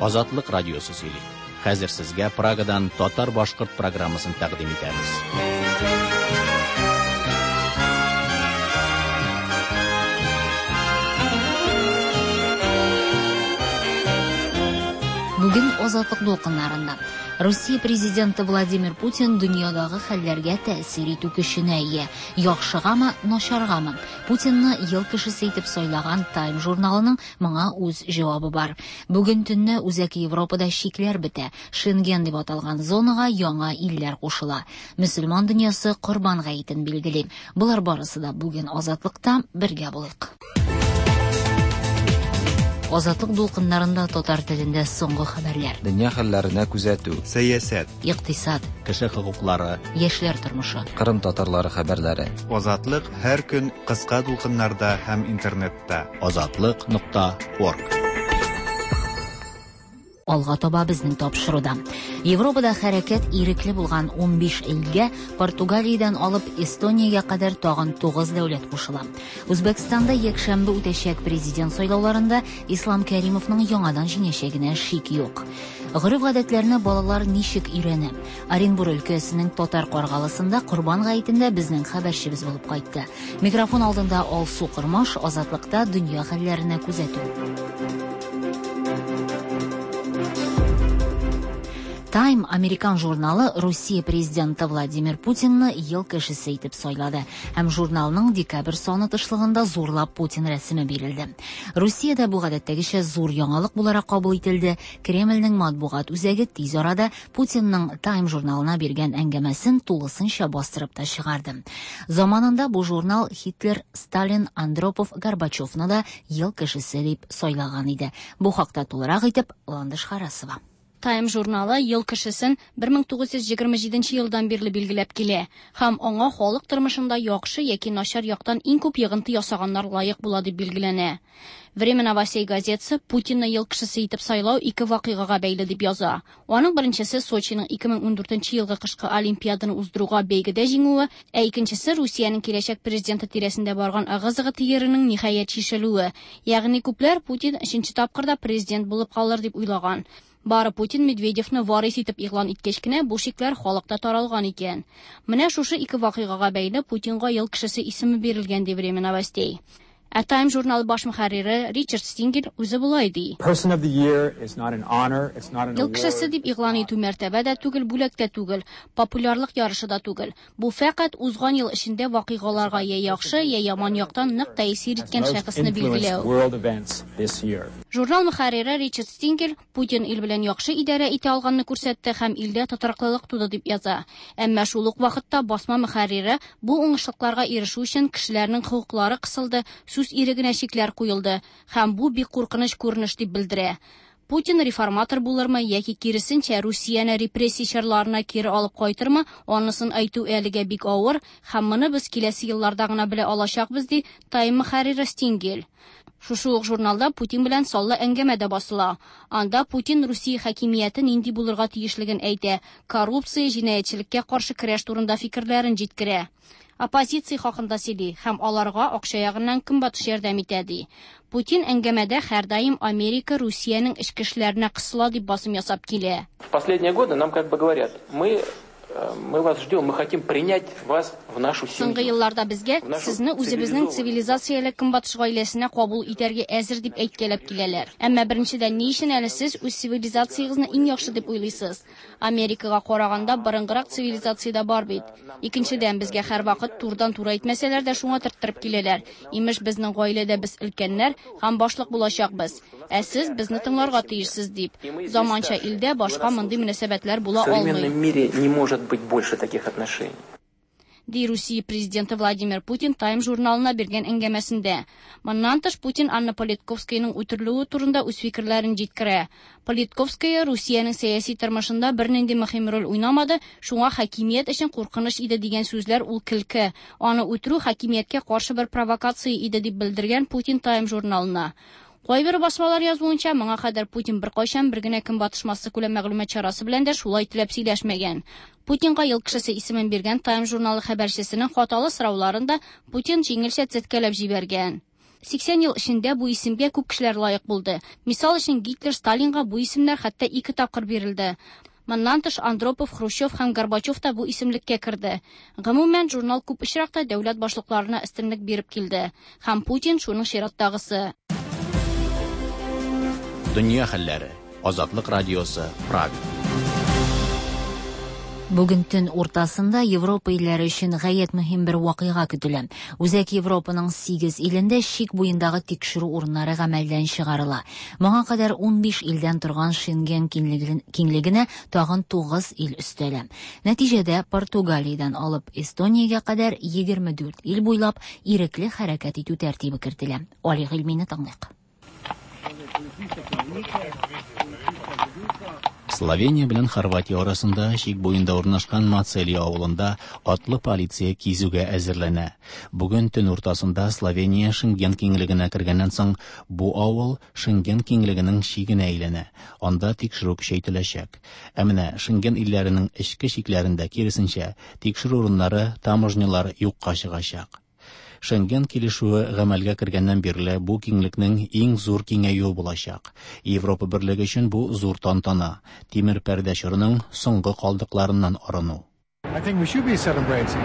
Азатлык радиосы сөйли. Хәзер сезгә Прагадан татар-башкорт программасын тәкъдим итәбез. Бүген Азатлык дулкыннарында Русия президенты Владимир Путин дөньядагы хәлләргә тәэсир итү көченә ия. Яхшыгамы, начаргамы? Путинны ел кешесе итеп сайлаган Time журналының моңа үз җавабы бар. Бүген төнне Үзәк Европада чикләр бетә. Шенген дип аталган зонага яңа илләр кушыла. Мөселман дөньясы Корбан гаетен билгели. Болар барысы да бүген Азатлыкта бергә булыйк. Азатлык дулкыннарында татар телендә соңгы хәбәрләр. Дөнья хәлләренә күзәтү. Сәясәт. Икътисад. Кеше хокуклары. Яшьләр тормышы. Кырым татарлары хәбәрләре. Азатлык һәр көн кыска дулкыннарда һәм интернетта. Азатлык нокта орг. Алга таба безнең тапшыруда. Европада хәрәкәт ирекле булган 15 илгә Португалиядән алып Эстониягә кадәр тагын 9 дәүләт кушыла. Үзбәкстанда якшәмбе үтәчәк президент сайлауларында Ислам Кәримовның яңадан җиңәчәгенә шик юк. Гореф-гадәтләрне балалар ничек өйрәнә? Оренбур өлкәсенең Татар Каргалысында Корбан гаетендә безнең хәбәрчебез булып кайтты. Микрофон алдында Алсу Кормаш, Азатлыкта дөнья хәлләренә күзәтү. Time американ журналы Русия президенты Владимир Путинны ел кешесе итеп сайлады һәм журналның декабрь саны тышлыгында зурлап Путин рәсеме бирелде. Русиядә бу гадәттәгечә зур яңалык буларак кабул ителде. Кремльнең матбугат үзәге тиз арада Путинның Time журналына биргән әңгәмәсен тулысынча бастырып та чыгарды. Заманында бу журнал Һитлер, Сталин, Андропов, Горбачевны да ел кешесе дип сайлаган иде. Бу хакта тулырак итеп Ландыш Харасова. Time журналы ел кешесен 1927 елдан бирле билгеләп килә һәм аңа халык тормышында яхшы яки начар яктан иң күп йогынты ясаганнар лаек була дип билгеләнә. Время новостей газетасы Путинны ел кешесе итеп сайлау ике вакыйгага бәйле дип яза. Аның беренчесе Сочиның 2014 елгы кышкы Олимпиаданы уздыруга бәйгедә җиңүе, ә икенчесе Русиянең киләчәк президенты тирәсендә барган ыгы-зыгы төеренең ниһаять чишелүе. Ягъни күпләр Путин өченче тапкыр да президент булып калыр дип уйлаган. Бары Путин Медведевны варис итеп игълан иткәч кенә бу шикләр халыкта таралган икән. Менә шушы ике вакыйгага бәйле Путинга ел кешесе исеме бирелгән ди Время новостей. Ә Time журналы баш мөхәррире Ричард Стингел үзе болай ди. Ел кешесе дип игълан итү мәртәбә дә түгел, бүләк тә түгел, популярлык ярышы да түгел. Бу фәкать узган ел эчендә вакыйгаларга я яхшы, я яман яктан нык тәэсир иткән шәхесне билгеләү. Журнал мөхәррире Ричард Стингел Путин ил белән яхшы идарә итә алганны күрсәтте һәм илдә тотрыклылык туды дип яза. Әмма шул ук вакытта басма мөхәррире бу уңышлыкларга ирешү өчен кешеләрнең хокуклары кысылды, сүз ирегенә чикләр куелды һәм бу бик куркыныч күренеш дип белдерә. Путин реформатор булырмы яки киресенчә Русияне репрессия чорларына кире алып кайтырмы, анысын әйтү әлегә бик авыр һәм моны без киләсе елларда гына белә алачакбыз, ди Time мөхәррире Стингел. Шушы ук журналда Путин белән саллы әңгәмә дә басыла. Анда Путин Русия хакимияте нинди булырга тиешлеген әйтә, коррупция, җинаятьчелеккә каршы көрәш турында фикерләрен җиткерә. Оппозиция хакында сөйли һәм аларга акча ягыннан көнбатыш ярдәм итә ди. Путин әңгәмәдә һәрдаим Америка Русиянең эчке эшләренә кысыла дип басым ясап килә. В последние годы нам как бы говорят, мы вас ждем, мы хотим принять вас в нашу семью. Соңгы елларда безгә В нашу сезне үзебезнең цивилизованную цивилизацияле көнбатыш гаиләсенә кабул итәргә әзер дип әйткәләп киләләр. Әмма беренчедән, ни өчен әле сез үз цивилизациягызны иң яхшы дип уйлыйсыз? Америкага караганда борынгырак цивилизация дә бар бит. Икенчедән, безгә һәрвакыт турыдан-туры әйтмәсәләр дә шуңа төрттереп киләләр. Имеш, безнең гаиләдә без өлкәннәр һәм башлык булачакбыз. Ә сез безне тыңларга тиешсез дип. Заманча илдә башка мондый мөнәсәбәтләр була В современном алмый. мире не может быть больше таких отношений. Ди Русия президенты Владимир Путин Time журналына биргән әңгәмәсендә. Моннан тыш Путин Анна Политковскаяның үтерелүе турында үз фикерләрен җиткерә. Политковская Русиянең сәяси тормышында бернинди мөһим роль уйнамады, шуңа хакимият өчен куркыныч иде дигән сүзләр ул көлке. Аны үтерү хакимияткә каршы бер провокация иде дип белдергән Путин Time журналына. Кайбер басмалар язуынча, моңа кадәр Путин беркайчан бер генә көнбатыш массакүләм мәгълүмат чарасы белән дә шулай теләп сөйләшмәгән. Путинга ел кешесе исемен биргән Time журналы хәбәрчесенең хаталы сорауларын да Путин җиңелчә төзәткәләп җибәргән. 80 ел эчендә бу исемгә күп кешеләр лаек булды. Мисал өчен, Гитлер, Сталинга бу исемнәр хәтта ике тапкыр бирелде. Моннан тыш, Андропов, Хрущев һәм Горбачев та бу исемлеккә керде. Гомумән, журнал күп очракта дәүләт башлыкларына өстенлек биреп килде. Һәм Путин шуның чираттагысы. Дөнья хәлләре. Азатлык радиосы, Прага. Бүген төн уртасында Европа илләре өчен гаять мөһим бер вакыйга көтелә. Үзәк Европаның 8 илендә чик буендагы тикшерү урыннары гамәлдән чыгарыла. Моңа кадәр 15 илдән торган Шенген киңлегенә тагын 9 ил өстәлә. Нәтиҗәдә Португалиядән алып Эстониягә кадәр 24 ил буйлап ирекле хәрәкәт итү тәртибе кертелә. Али Гыйльмине тыңлыйк. Словения белән Хорватия арасында чик буенда урнашкан Мацелия авылында атлы полиция кизүгә әзерләнә. Бүген төн уртасында Словения Шенген киңлегенә кергәннән соң бу авыл Шенген киңлегенең чигенә әйләнә. Анда тикшерү көчәйтеләчәк. Ә менә Шенген илләренең эчке чикләрендә киресенчә тикшерү урыннары, таможнялар юкка чыгачак. Шенген килешүе гамәлгә кергәннән бирле бу киңлекнең иң зур киңәюе булачак. Европа берлеге өчен бу зур тантана, тимер пәрдә чорының соңгы калдыкларыннан арыну. I think we should be celebrating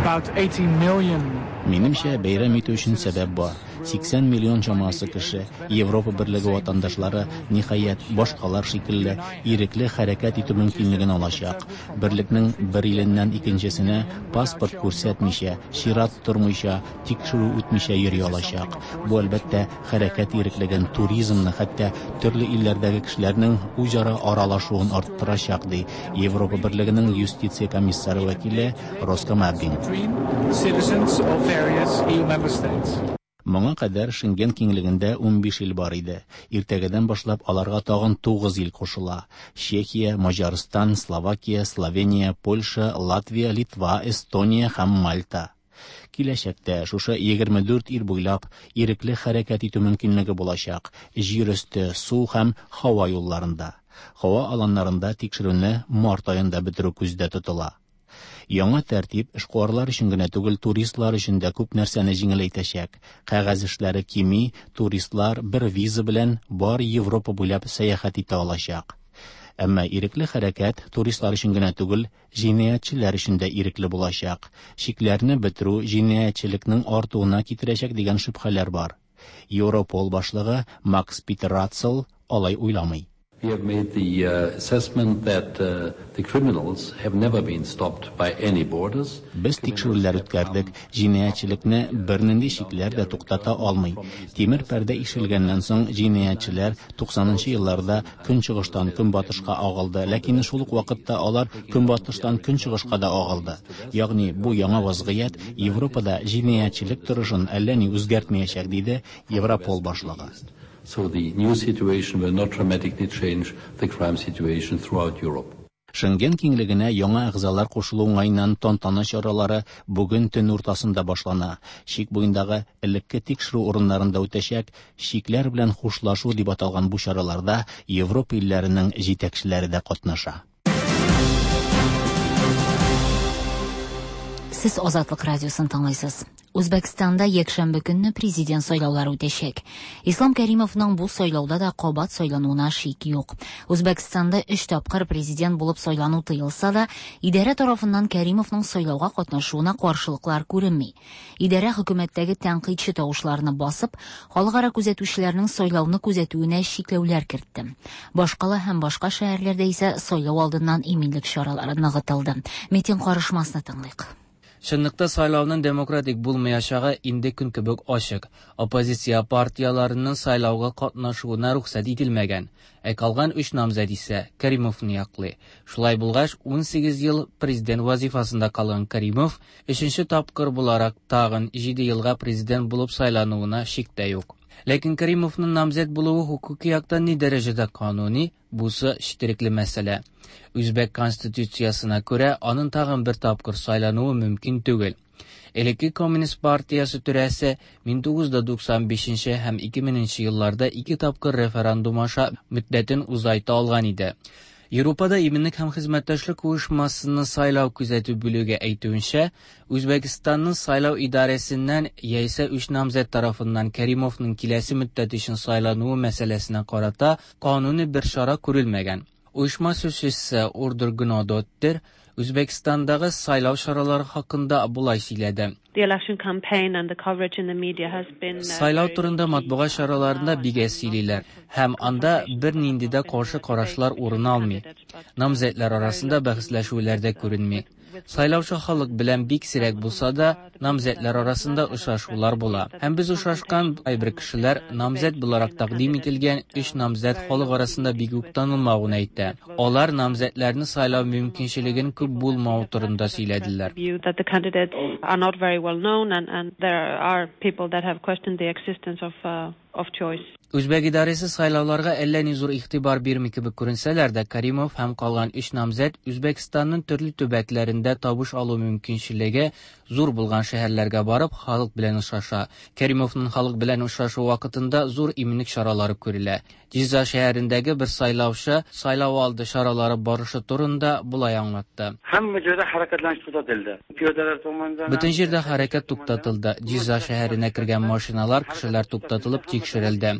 about 80 million. Минемчә, бәйрәм итү өчен сәбәп бар. 80 миллион чамасы кеше, Европа берлеге ватандашлары, ниһаять, башкалар шикелле ирекле хәрәкәт итү мөмкинлеген алачак. Берлекнең бер иленнән икенчесенә паспорт күрсәтмичә, чират тормыйча, тикшерү үтмичә йөри алачак. Бу, әлбәттә, хәрәкәт иреклеген, туризмны, хәтта төрле илләрдәге кешеләрнең үзара аралашуын арттырачак, ди Европа берлегенең юстиция комиссары вәкиле Роско Маббин. Citizens of various EU member states. Моңа кадәр Шенген киңлегендә 15 ил бар иде. Иртәгәдән башлап аларга тагын 9 ил кушыла. Чехия, Маҗарстан, Словакия, Словения, Польша, Латвия, Литва, Эстония һәм Мальта. Киләчәктә шушы 24 ил буйлап ирекле хәрәкәт итү мөмкинлеге булачак. Җир өсте, су һәм һава юлларында. Һава аланнарында тикшерүне март аенда бетерү күздә тотыла. Яңа тәртип эшкуарлар өчен генә түгел, туристлар өчен дә күп нәрсәне җиңеләйтәчәк. Кәгазь эшләре кими, туристлар бер виза белән бар Европа буйлап сәяхәт итә алачак. Әмма ирекле хәрәкәт туристлар өчен генә түгел, җинаятьчеләр өчен дә ирекле булачак. Чикләрне бетерү җинаятьчелекнең артуына китерәчәк дигән шөбһәләр бар. Европол башлыгы Макс Питер Ратцел алай уйламый. We have made the assessment that the criminals have never been stopped by any borders. Без тикшерүләр үткәрдек. Җинаятьчелекне бернинди чикләр дә туктата алмый. Тимер пәрдә ишелгәннән соң җинаятьчеләр 90 елларда көнчыгыштан көнбатышка агылды, ләкин шул ук вакытта алар көнбатыштан көнчыгышка да агылды. Ягъни бу яңа вазгыять Европада җинаятьчелек торышын әллә ни үзгәртмәячәк, диде Европол башлыгы. So the new situation will not dramatically change the crime situation throughout Europe. Шенген киңлегенә яңа әгъзалар кушылу уңаеннан тантана чаралары бүген төн уртасында башлана. Чик буендагы элекке тикшерү урыннарында үтәчәк чикләр белән хушлашу дип аталган бу чараларда Европа илләренең җитәкчеләре дә катнаша. Сез Азатлык радиосын тыңлыйсыз. Үзбәкстанда якшәмбе көнне президент сайлаулары үтәчәк. Ислам Кәримовның бу сайлауда да кабат сайлануына шик юк. Үзбәкстанда 3 тапкыр президент булып сайлану тыелса да, идарә тарафыннан Кәримовның сайлауга катнашуына каршылыклар күренми. Идарә хөкүмәттәге тәнкыйтьче тавышларны басып, халыкара күзәтүчеләрнең сайлауны күзәтүенә чикләүләр кертте. Башкала һәм башка шәһәрләрдә исә сайлау алдыннан иминлек чаралары ныгытылды. Митинг карышмасны тыңлыйк. Чынлыкта сайлауның демократик булмаячагы инде көн кебек ачык. Оппозиция партияларының сайлауга катнашуына рөхсәт ителмәгән. Ә калган 3 намзәт исә Каримовны яклый. Шулай булгач, 18 ел президент вазифасында калган Каримов 3нче тапкыр буларак тагын 7 елга президент булып сайлануына шик тә юк. Ләкин Каримовның намзәт булуы хукуки яктан ни дәрәҗәдә кануни, бусы четерекле мәсьәлә. Үзбәк конституциясына күрә, аның тагын бер тапкыр сайлануы мөмкин түгел. Элекке Коммунист партиясе түрәсе 1995 һәм 2000 елларда 2 тапкыр референдум аша мөддәтен узайта алган иде. Европада иминлек һәм хезмәттәшлек оешмасының сайлау күзәтү бүлеге әйтүенчә, Үзбәкстанның сайлау идарәсеннән яисә өч намзәт тарафыннан Кәримовның киләсе мөддәт өчен сайлануы мәсьәләсенә карата кануни бер чара күрелмәгән. Оешма сүзчесе Урдур Гнодоттир Үзбәкстандагы сайлау чаралары хакында болай сөйләде. Сайлау турында матбугат чараларында бик әз сөйлиләр һәм анда бернинди дә каршы карашлар урын алмый. Намзәтләр арасында бәхәсләшүләр дә күренми. Сайлаучы халык белән бик сирәк булса да, намзәтләр арасында очрашулар була. Һәм без очрашкан кайбер кешеләр намзәт буларак тәкъдим ителгән өч намзәт халык арасында бик үк танылмавын әйтә. Алар намзәтләрне сайлау мөмкинчелеген күп булмавы турында сөйләделәр. Үзбәк идарәсе сайлауларга әллә ни зур игътибар бирми кебек күренсәләр дә, Каримов һәм калган өч намзәт Үзбәкстанның төрле төбәкләрендә табыш алу мөмкинчелеге зур булган шәһәрләргә барып, халык белән очраша. Каримовның халык белән очрашуы вакытында зур иминлек чаралары күрелә. Җиза шәһәрендәге бер сайлаучы сайлау алды чаралары барышы турында болай аңлатты. Һәммә җирдә хәрәкәтләнеш туктатылды. Пиядәләр томандан. Бөтен җирдә хәрәкәт туктатылды. Җиза шәһәренә кергән машиналар, кешеләр туктатылып тикшерелде.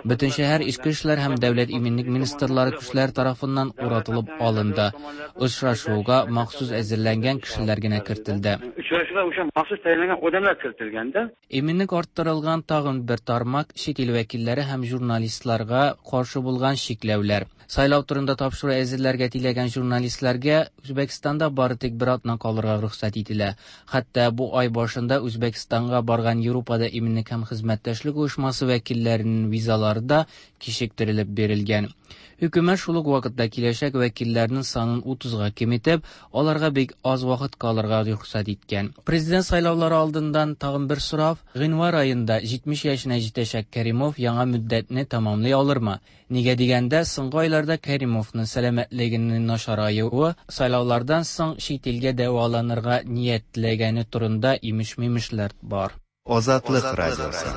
Бөтен шәһәр Эчке эшләр һәм дәүләт иминлек министрлары көчләре тарафыннан уратылып алынды. Очрашуга махсус әзерләнгән кешеләр генә кертелде. Очрашуга o'sha maxsus tayinlangan odamlar kiritilganda. Иминлек арттырылган тагын бер тармак чит ил вәкилләре һәм журналистларга каршы булган чикләүләр. Сайлау турында тапшыру әзерләргә теләгән журналистларга Үзбәкстанда бары тик бер атна калырга рөхсәт ителә. Хәтта бу ай башында Үзбәкстанга барган Европада иминлек һәм хезмәттәшлек оешмасы вәкилләренең визалары да кичектерелеп бирелгән. Хөкүмәт шул ук вакытта киләчәк вәкилләрнең санын 30-га киметеп, аларга бик аз вакыт калырга рөхсәт иткән. Президент сайлаулары алдыннан тагын бер сорау: гыйнвар аенда 70 яшенә җитәчәк Кәримов яңа мөддәтне тәмамлый алырмы? Нигә дигәндә, соңгы айларда Кәримовның сәламәтлегенең начараюы, сайлаулардан соң чит илгә дәваланырга ниятләгәне турында имеш-мимешләр бар. Азатлык радиосы.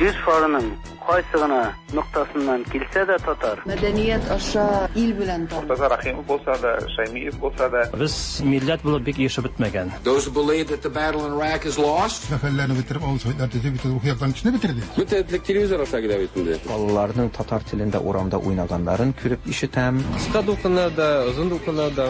Җир шарының кайсы гына ноктасыннан килсә дә татар. Мәдәният аша ил белән таныш. Мортаза Рахимов булса да, Шаймиев булса да. Без милләт булып бик ирешеп бетмәгән. Those who believe that the battle in Iraq is lost. Сәфәрләрне бетереп, авыл советлар төзеп, бөтен рухи яктан көчне бетерде. Бөтен телевизор аша килә бит инде. Балаларның татар телендә урамда уйнаганнарын күреп ишетәм. Кыска дулкыннарда, озын дулкыннарда.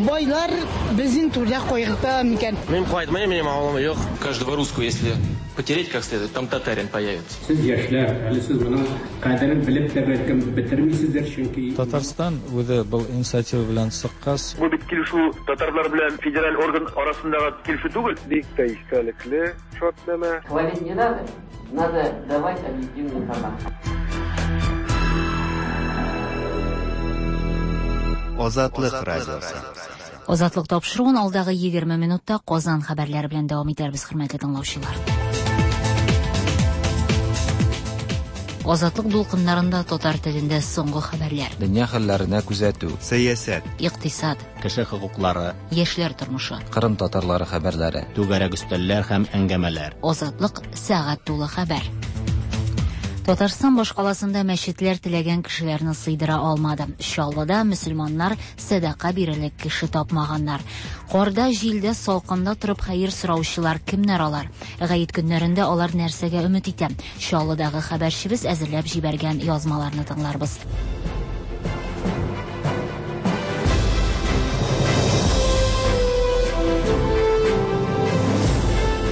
Байлар безнең түрдә кайгырта микән? Мин кайтмыйм, минем авылым юк. Каждого русского, если потереть как следует, там татарин появится. Сез яшьләр, әле сез моның кадерен белеп тә бәлкем бетермисездер, чөнки Татарстан үзе был инициатива белән чыккач, бу бит килешү татарлар белән федераль орган арасындагы килешү түгел. Бик тә истәлекле шартнамә. Хвалить не надо, надо давать объективную информацию. Азатлык радиосы. Азатлык тапшыруын алдагы 20 минутта Казан хәбәрләре белән дәвам итәрбез, хөрмәтле тыңлаучылар. Азатлык дулкыннарында татар телендә соңгы хәбәрләр. Дөнья хәлләренә күзәтү. Сәясәт, икътисад, кеше хокуклары, яшьләр тормышы, Кырым татарлары хәбәрләре, түгәрәк өстәлләр һәм әңгәмәләр. Азатлык сәгать тулы хәбәр. Татарстан башкаласында мәчетләр теләгән кешеләрне сыйдыра алмады. Чаллыда мөселманнар сәдака бирерлек кеше тапмаганнар. Карда, җилдә, салкында торып хәер сораучылар кемнәр алар? Гает көннәрендә алар нәрсәгә өмет итә? Чаллыдагы хәбәрчебез әзерләп җибәргән язмаларны тыңларбыз.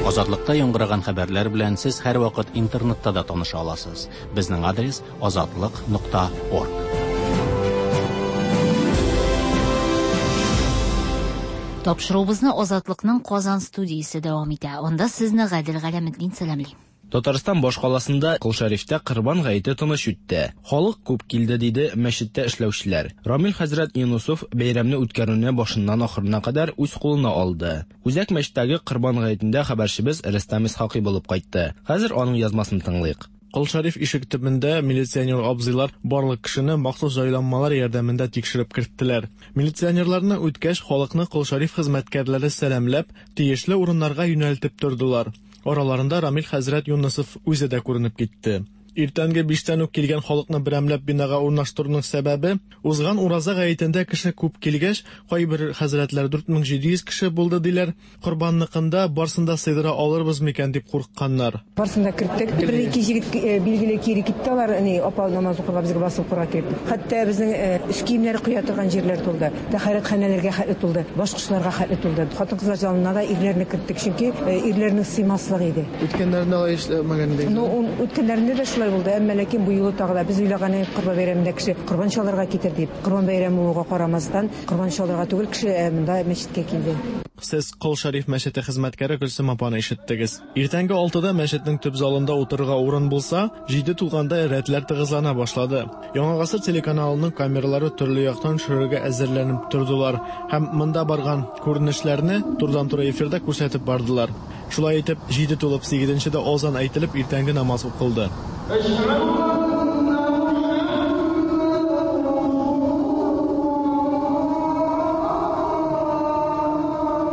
Азатлыкта яңгыраган хәбәрләр белән сез һәрвакыт интернетта да таныша аласыз. Безнең адрес azatliq.org. Тапшыруыбызны Азатлыкның Казан студиясе дәвам итә. Анда сезне Гадел Галәметдин сәламли. Татарстан башкаласында Кол Шәрифтә Корбан гаете тыныч үтте. Халык күп килде, диде мәчеттә эшләүчеләр. Рамил хәзрәт Юнусов бәйрәмне үткәрүне башыннан ахырына кадәр үз кулына алды. Үзәк мәчеттәге Корбан гаетендә хәбәрчебез Рөстәм Исхакый булып кайтты. Хәзер аның язмасын тыңлыйк. Кол Шәриф ишек төбендә милиционер абзыйлар барлык кешене махсус җайланмалар ярдәмендә тикшереп керттеләр. Милиционерларны үткәч, халыкны Кол Шәриф хезмәткәрләре сәламләп, тиешле урыннарга юнәлтеп тордылар. Араларында Рамил хәзрәт Юнысов үзе дә күренеп китте. Иртәнге биштән үк килгән халыкны берәмләп бинага урнаштыруның сәбәбе, узган Ураза гаетендә кеше күп килгәч, кайбер хәзрәтләр 4700 кеше булды диләр, Корбанныкында барсын да сыйдыра алырбыз микән дип курыкканнар. Барсын да керттек. Бер-ике җегет билгеле кире китте алар, ни, апа намаз укырга безгә басып укырга килеп. Хәтта безнең өс киемнәре куя торган җирләр тулды. Тәһарәтханәләргә хәтле тулды. Башкочларга хәтле тулды. Хатын-кызлар залына да ирләрне керттек, чөнки ирләрнең сыймаслык иде. Үткәннәрендә алай эшләмәгән идегез? Ну, үткәннәрендә дә шулай булды, әмма ләкин бу юлы тагы да без уйлаган идек, Корбан бәйрәмендә кеше корбан чалырга китер дип. Корбан бәйрәме булуга карамастан, корбан чалырга түгел кеше, ә монда мәчеткә килде. Сез Кол Шәриф мәчете хезмәткәре Гөлсем апаны ишеттегез. Иртәнге алтыда мәчетнең төп залында утырырга урын булса, җиде тулганда рәтләр тыгызлана башлады. Яңа гасыр телеканалының камералары төрле яктан төшерергә әзерләнеп тордылар һәм монда барган күренешләрне турыдан-туры эфирда күрсәтеп бардылар. Шулай итеп, җиде тулып сигезенчедә азан әйтелеп, иртәнге намаз укылды.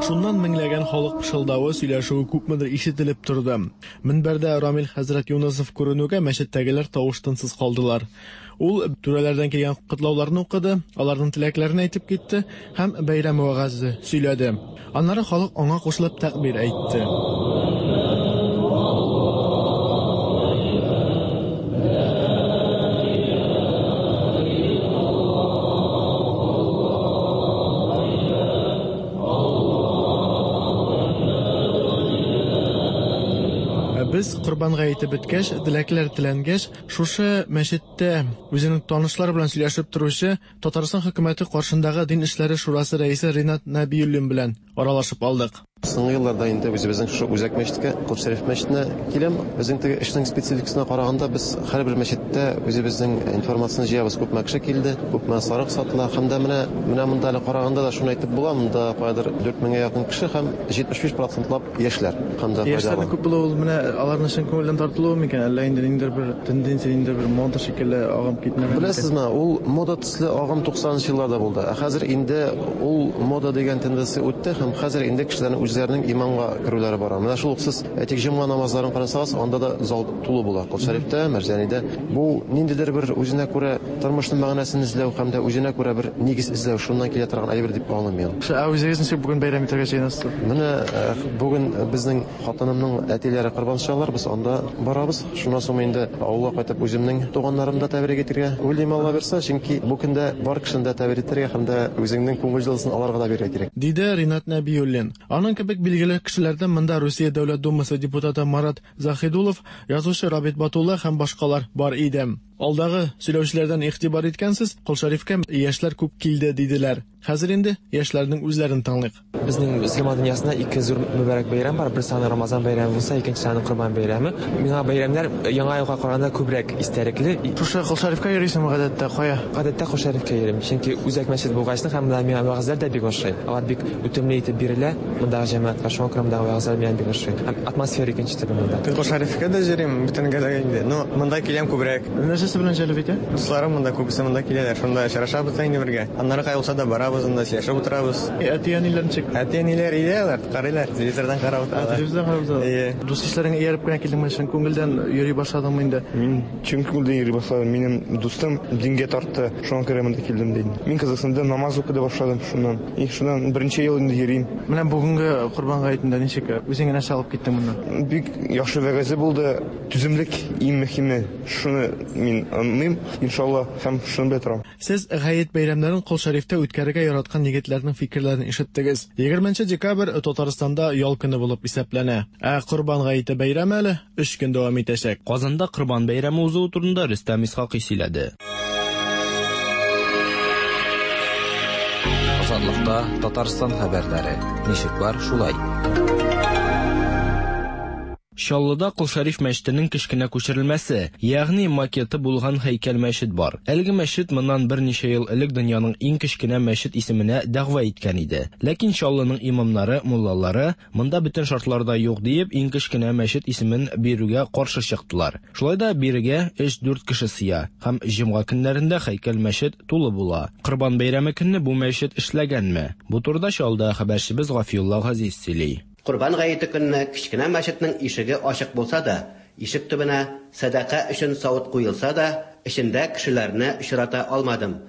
Шуннан меңләгән халык пышылдавы, сөйләшүе күпмедер ишетелеп торды. Мөнбәрдә Рамил хәзрәт Юнысов күренүгә мәчеттәгеләр тавыш-тынсыз калдылар. Ул түрәләрдән килгән котлауларны укыды, аларның теләкләрен әйтеп китте һәм бәйрәм вәгазе сөйләде. Аннары халык аңа кушылып тәкбир әйтте. Без Корбан гаете беткәч, теләкләр теләнгәч, шушы мәчеттә үзенең танышлары белән сөйләшеп торучы Татарстан хөкүмәте каршындагы Дин эшләре шурасы рәисе Ринат Нәбиуллин белән аралашып алдык. Соңгы елларда инде үзебезнең шушы үзәк мәчеткә, Кол Шәриф мәчетенә киләм. Безнең теге эшнең спецификасына караганда, без һәрбер мәчеттә үзебезнең информацияне җыябыз, күпме кеше килде, күпме сарык сатыла. Һәм дә менә, менә монда әле караганда да шуны әйтеп була, монда каядыр 4000 гә якын кеше һәм 75 процентлап яшьләр. Һәм дә Яшьләрнең күп булуы ул менә аларның чын күңелдән тартылуы микән, әллә инде ниндидер бер тенденция, ниндидер бер мода шикелле агым китмәгән микән? Беләсезме, ул мода төсле агым 90 нчы елларда булды. Ә хәзер инде ул мода дигән тенденция үтте һәм хәзер инде кешеләрнең үзләренең иманга керүләре бара. Менә шул ук сез, әйтик, җомга намазларын карасагыз, анда да зал тулы була. Кол Шәрифтә, Мәрҗанидә. Бу ниндидер бер үзенә күрә тормышның мәгънәсен эзләү һәм дә үзенә күрә бер нигез эзләү, шуннан килә торган әйбер дип аңлыйм мин. Ә үзегез ничек бүген бәйрәм итәргә җыенасыз? Менә бүген безнең хатынымның әтиләре корбан чалалар, без анда барабыз. Шуннан соң инде авылга кайтып үземнең туганнарымны да тәбрик итәргә уйлыйм, Алла бирса, чөнки бу көндә бар кешене дә тәбрик итәргә һәм дә үзеңнең күңел җылысын аларга да бирергә кирәк. Диде Ринат Нәбиуллин. Аның кебек билгеле кешеләрдән монда Русия Дәүләт Думасы депутаты Марат Заһидуллов, язучы Рабит Батулла һәм башкалар бар иде. Алдагы сөйләүчеләрдән игътибар иткәнсез, Кол Шәрифкә яшьләр күп килде, диделәр. Хәзер инде яшьләрнең үзләрен тыңлыйк. Безнең мөселман дөньясында ике зур мөбарәк бәйрәм бар. Берсе аны Рамазан бәйрәме булса, икенчесе аны Корбан бәйрәме. Миңа бәйрәмнәр Яңа елга караганда күбрәк истәлекле. Шушы Кол Шәрифкә йөрисеңме гадәттә? Кая? Гадәттә Кол Шәрифкә йөрим. Чөнки үзәк мәчет булгачны һәм монда миңа вәгазьләр дә бик ошый. Алар бик үтемле итеп бирелә мондагы җәмәгатькә. Шуңа күрә мондагы вәгазьләр миңа бик ошый. Һәм атмосфера икенче төрле монда. Кол Шәрифкә дә йөрим, бөтенгә дә инде. Но монда киләм күбрәк. Нәрсәсе белән җәлеп итә? Дусларым монда күбесе монда киләләр. Шунда очрашабыз да инде бергә. Аннары кая булса да барабыз анда, сөйләшеп утырабыз. Әти-әниләр ничек? Әти-әниләр өйдә алар, карыйлар, телевизордан карап утыралар. Телевизордан карап утыралар. Әйе. Дус-ишләреңә ияреп кенә килдеңме, чын күңелдән йөри башладыңмы инде? Мин чын күңелдән йөри башладым. Минем дустым дингә тартты, шуңа күрә монда килдем ди. Мин кызыксындым, намаз укый да башладым шуннан. И шуннан берничә ел инде йөрим. Менә бүгенге Корбан гаетендә ничек, үзеңә нәрсә алып киттең моннан? Бик яхшы вәгазе булды. Түземлек иң мөһиме. Шуны мин аңлыйм, иншалла, һәм шуны белә торам. Сез гает бәйрәмнәрен Кол Шәрифтә үткәрергә яраткан егетләрнең фикерләрен ишеттегез. Егерменче декабрь Татарстанда ял көне булып исәпләнә. Ә Корбан гаете бәйрәме әле өч көн дәвам итәчәк. Казанда Корбан бәйрәме узуы турында Рөстәм Исхакый сөйләде. Азатлыкта Татарстан хәбәрләре. Ничек бар, шулай. Чаллыда Кол Шәриф мәчетенең кечкенә күчерелмәсе, ягъни макеты булган һәйкәл-мәчет бар. Әлеге мәчет моннан берничә ел элек дөньяның иң кечкенә мәчет исеменә дәгъва иткән иде. Ләкин Чаллының имамнары, муллалары, монда бөтен шартлар да юк диеп, иң кечкенә мәчет исемен бирүгә каршы чыктылар. Шулай да бирегә өч-дүрт кеше сыя һәм җомга көннәрендә һәйкәл-мәчет тулы була. Корбан бәйрәме көнне бу мәчет эшләгәнме? Бу турыда Чаллыда хәбәрчебез Гафиулла Газиз сөйли. Корбан гаете көнне кечкенә мәчетнең ишеге ачык булса да, Ишек төбенә сәдака өчен савыт куелса да, эчендә кешеләрне очрата алмадым.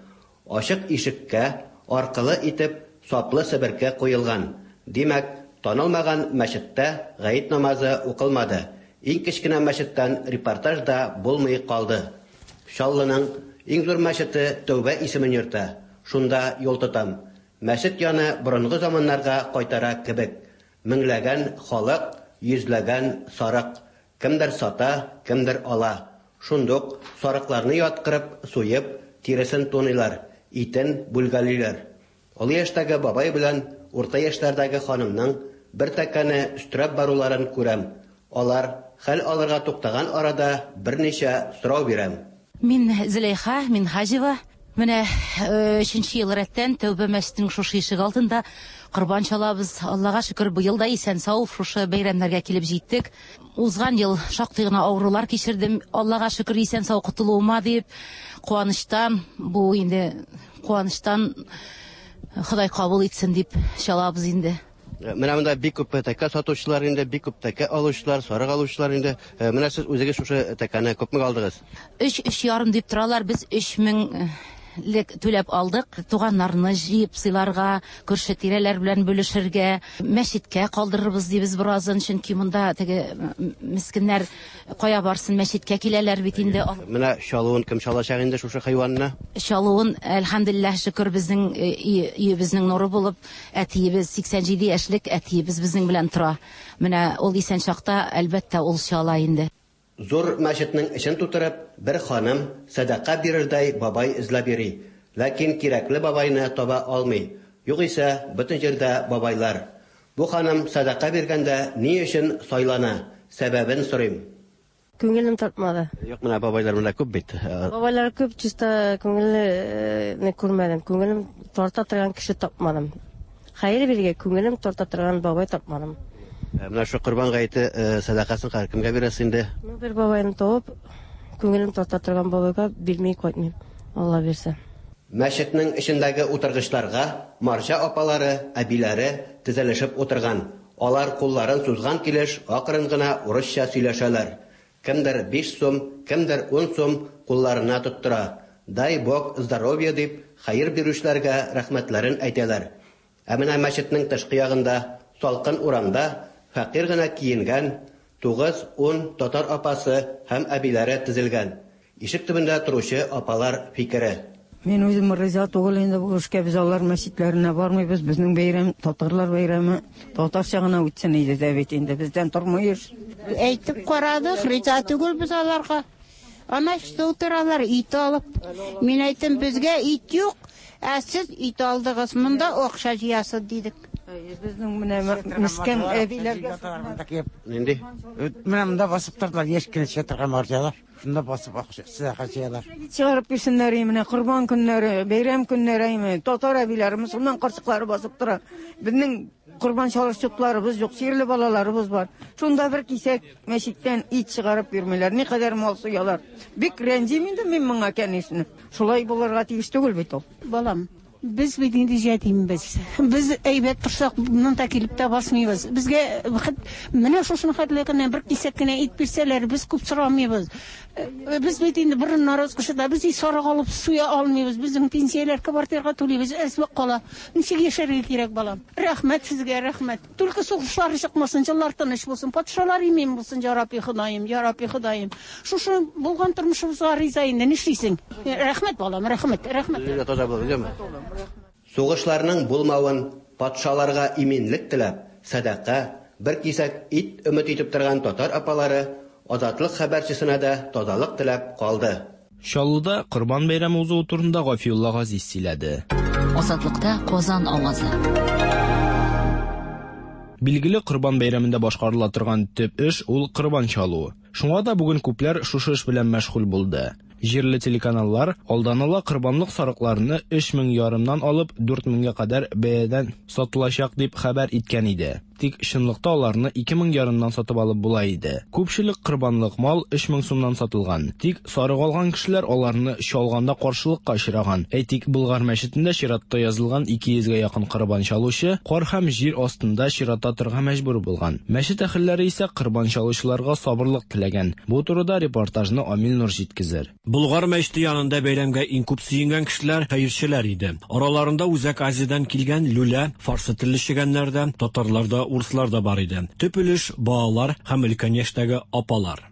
Ачык ишеккә аркылы итеп саплы себерке куелган. Димәк, танылмаган мәчеттә гает намазы укылмады. Иң кечкенә мәчеттән репортаж да булмый калды. Чаллының иң зур мәчете Тәүбә исемен йөртә. Шунда юл тотам. Мәчет яны борынгы заманнарга кайтара кебек. Меңләгән халык, йөзләгән сарык. Кемдер сата, кемдер ала. Шундук сарыкларны яткырып, суеп, тиресен туныйлар, итен бүлгәлиләр. Олы яшьтәге бабай белән урта яшьләрдәге ханымның бер тәкәне өстерәп баруларын күрәм. Алар хәл алырга туктаган арада берничә сорау бирәм. Мин Зөләйха Минһаҗева. Менә өченче ел рәттән Тәүбә мәчетенең шушы ишек алдында корбан чалабыз. Аллага шөкер, быел да исән-сау шушы бәйрәмнәргә килеп җиттек. Узган ел шактый гына авырулар кичердем. Аллага шөкер, исән-сау котылуыма дип, куанычтан, бу инде куанычтан Ходай кабул итсен дип чалабыз инде. Менә монда бик күп тәкә сатучылар инде, бик күп тәкә алучылар, сарык алучылар инде. Менә сез үзегез шушы тәкәне күпмегә алдыгыз? Өч, өч ярым дип торалар, без өч мең лек түләп алдык. Туганнарны җыеп сыйларга, күрше-тирәләр белән бүлешергә, мәчеткә калдырырбыз дибез беразын, чөнки монда теге мескеннәр кая барсын, мәчеткә киләләр бит инде. Менә чалуын кем чалачак инде шушы хайванны? Чалуын, әлхәмдүлилләһ, шөкер, безнең өебезнең нуры булып, әтиебез, 87 яшьлек әтиебез безнең белән тора. Менә ул исән чакта, әлбәттә, ул чала инде. Зур мәчетнең эчен тутырып, бер ханым сәдака бирердәй бабай эзләп йөри. Ләкин кирәкле бабайны таба алмый. Югыйсә, бөтен җирдә бабайлар. Бу ханым сәдака биргәндә ни өчен сайлана, сәбәбен сорыйм. Күңелем тартмады. Юк, менә бабайлар монда күп бит. Бабайлар күп, чиста күңелне күрмәдем. Күңелем тарта торган кеше тапмадым. Хәер биргә күңелем тарта торган бабай тапмадым. Менә шу Корбан гаете сәдакасын хәзер кемгә бирәсез инде? Ну, бер бабайны табып, күңелем тарта торган бабайга бирми кайтмыйм, Алла бирсә. Мәчетнең эчендәге утыргычларга марҗа апалары, әбиләре тезелешеп утырган. Алар кулларын сузган килеш акрын гына урысча сөйләшәләр. Кемдер биш сум, кемдер ун сум кулларына тоттыра. Дай бог здоровья дип, хәер бирүчеләргә рәхмәтләрен әйтәләр. Ә менә мәчетнең тышкы ягында, салкын урамда фәкыйрь генә киенгән тугыз-ун татар апасы һәм әбиләре тезелгән. Ишек төбендә торучы апалар фикере. Мин үзем риза түгел инде бу эшкә, без алар мәчетләренә бармыйбыз, безнең бәйрәм, татарлар бәйрәме, татарча гына үтсен иде дә бит инде, бездән тормый эш. Әйтеп карадык, риза түгел без аларга. Ана эштә утыралар, ит алып. Мин әйттем, безгә ит юк, ә сез ит алдыгыз, монда акча җыясыз, дидек. Безнең менә мескен әбиләргә. Нинди? Менә монда басып тордылар, яшь кенә торган марҗалар. Шунда басып акча сәдака җыялар. Чыгарып бирсеннәр менә корбан көннәре, бәйрәм көннәре әйме, татар әбиләре, мөселман карчыклары басып тора. Безнең корбан чалыш чотларыбыз юк, чирле балаларыбыз бар. Шунда бер кисәк мәчеттән ит чыгарып бирмиләр. Никадәр мал суялар. Бик рәнҗим инде мин моңа, конечно. Шулай булырга тиеш түгел бит ул. Балам, без бит инде җәтимбез. Без әйбәт торсак, монда килеп тә басмыйбыз. Безгә менә шушыны хәтле генә бер кисәк кенә ит бирсәләр, без күп сорамыйбыз. Без бит инде борыннар узгышында, без ит сарык алып суя алмыйбыз. Безнең пенсияләр квартирага түлибез, әзме кала. Ничек яшәргә кирәк, балам? Рәхмәт сезгә, рәхмәт. Только сугышлар чыкмасын, җыллар тыныч булсын, патшалар имин булсын, я Рабби Ходаем, я Рабби Ходаем. Шушы булган тормышыбызга риза инде, нишлисең? Рәхмәт, балам, рәхмәт, рәхмәт. Таза булыгыз, яме. Сугышларның булмавын, патшаларга иминлек теләп, сәдака, бер кисәк ит өмет итеп торган татар апалары Азатлык хәбәрчесенә дә тазалык теләп калды. Чаллыда Корбан бәйрәме узуы турында Гафиулла Газиз сөйләде. Азатлыкта Казан авазы. Билгеле, Корбан бәйрәмендә башкарыла торган төп эш ул корбан чалу. Шуңа да бүген күпләр шушы эш белән мәшгуль булды. Җирле телеканаллар алдан ала корбанлык сарыкларны өч мең ярымнан алып дүрт меңгә кадәр бәядән сатылачак дип хәбәр иткән иде. Тик чынлыкта аларны 2 мең ярымнан сатып алып була иде. Күпчелек корбанлык мал 3 мең сумнан сатылган. Тик сарык алган кешеләр аларны чалганда каршылыкка очраган. Әйтик, Болгар мәчетендә чиратта язылган 200 гә якын корбан чалучы кар һәм җир астында чиратта торырга мәҗбүр булган. Мәчет әһелләре исә корбан чалучыларга сабырлык теләгән. Бу турыда репортажны Амил Нур җиткезер. Болгар мәчете янында бәйрәмгә иң күп сөенгән кешеләр хәерчеләр иде. Араларында Үзәк Азиядән килгән люлә, фарсы телле чегәннәр дә, татарлар да, урыслар да бар иде. Төп өлеш, балалар һәм өлкән яшьтәге апалар.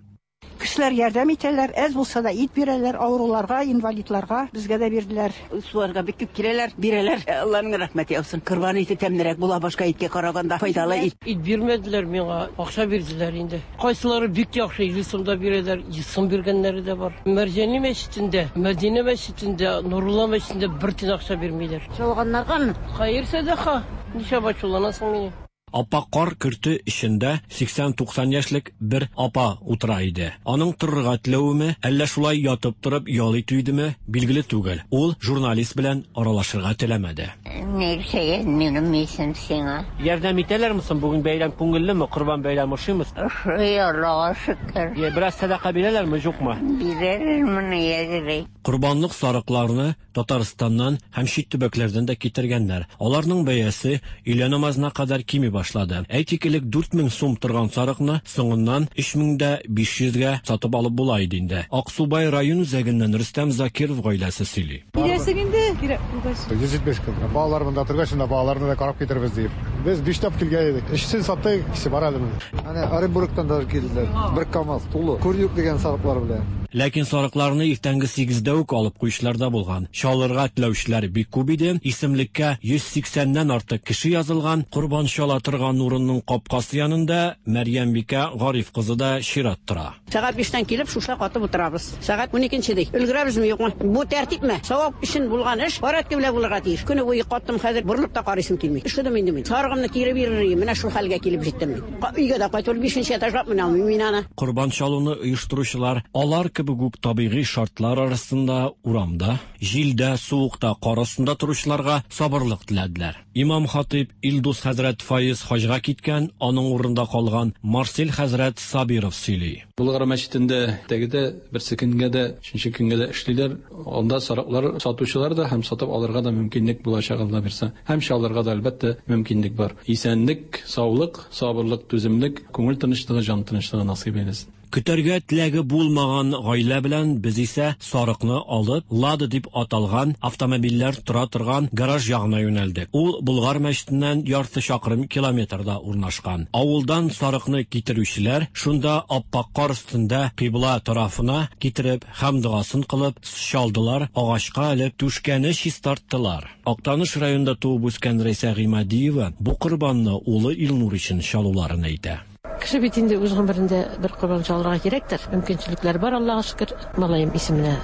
Кешеләр ярдәм итәләр, әз булса да ит бирәләр, авыруларга, инвалидларга, безгә дә бирделәр. Суарга бик күп киләләр, бирәләр. Алланың рәхмәте яусын. Корбан ите тәмлерәк була башка иткә караганда, файдалы ит. Ит бирмәделәр миңа, акча бирделәр инде. Кайсылары бик яхшы 50 сум да бирәләр, 100 сум биргәннәре дә бар. Мәрҗани мәчетендә, Мәдинә мәчетендә, Нурулла мәчетендә бер тиен акча бирмиләр. Чалганнаргамы? Хәер сәдака. Нишләп ачуланасың мине? Апа кар көрте эчендә 80-90 яшьлек бер апа утыра иде. Аның торырга теләвеме, әллә шулай ятып торып ял итү идеме, билгеле түгел. Ул журналист белән аралашырга теләмәде. Нәрсәгә минем исем сиңа? Ярдәм итәләрме соң бүген бәйрәм күңеллеме, Корбан бәйрәме ошыймы? Ошый, Аллага шөкер. Йә, бераз сәдака бирәләрме, юкмы? Бирәләр моны язрый. Корбанлык сарыкларны Татарстаннан һәм чит төбәкләрдән дә китергәннәр. Аларның бәясе өйлә намазына кадәр кими башлады. Әйтик, элек 4000 сум торган сарыкны соңыннан 3500 гә сатып алып була иде инде. Аксубай район үзәгеннән Рөстәм Закиров гаиләсе сөйли. Киләсең инде, кирәк булгач. 170 көн. Балалар монда торгач, шунда балаларны да карап китербез диеп. Без биш тап килгән идек. Өчесен саттык, икесе бар әле менә. Әнә Оренбургтан да килделәр. Бер КАМАЗ тулы. Курдюк дигән сарыклар белән. Ләкин сарыкларны иртәнге сигездә үк алып куючылар да булган. Чалырга теләүчеләр бик күп иде. Исемлеккә 180 нән артык кеше язылган. Корбан чала торган урынның капкасы янында Мәрьямбикә Гариф кызы да чират тора. Сәгать биштән килеп, шуша катып утырабыз. Сәгать уникенче ди. Өлгерәбезме, юкмы? Бу тәртипме? Савап өчен булган эш порядка белән булырга тиеш. Көне буе каттым, хәзер борылып та карыйсым килми. Өшедем инде мин. Сарыгымны кире бирер идем, менә шул хәлгә килеп җиттем мин. Өйгә дә кайтып, бишенче этажга менә алмыйм мин аны. Корбан чалуны оештыручылар алар кебек үк табигый шартлар арасында урамда, җилдә, суыкта, кар астында торучыларга сабырлык теләделәр. Имам-хатыйб Илдус хәзрәт Фаиз хаҗга киткән, аның урынында калган Марсель хәзрәт Сабиров сөйли. Болгар мәчетендә теге дә, берсе көнгә дә, өченче көнгә дә эшлиләр. Анда сарыклар сатучылар да һәм сатып алырга да мөмкинлек булачак, Алла бирса. Һәм чалырга да, әлбәттә, мөмкинлек бар. Исәнлек, саулык, сабырлык, түземлек, күңел тынычлыгы, җан тынычлыгы насыйп әйләсен. Көтәргә теләге булмаган гаилә белән без исә сарыкны алып, Лада дип аталган автомобильләр тора торган гараж ягына юнәлдек. Ул Болгар мәчетеннән ярты чакрым километрда урнашкан. Авылдан сарыкны китерүчеләр шунда ап-ак кар өстендә кыйбла тарафына китереп һәм догасын кылып чалдылар, агачка элеп, түшкәне чистарттылар. Актаныш районында туып үскән Рәйсә Гыймадиева бу корбанны улы Илнур өчен чалуларын әйтә. Кеше бит инде үз гомерендә бер корбан чалырга кирәктер. Мөмкинчелекләр бар, Аллага шөкер. Малаем исеменә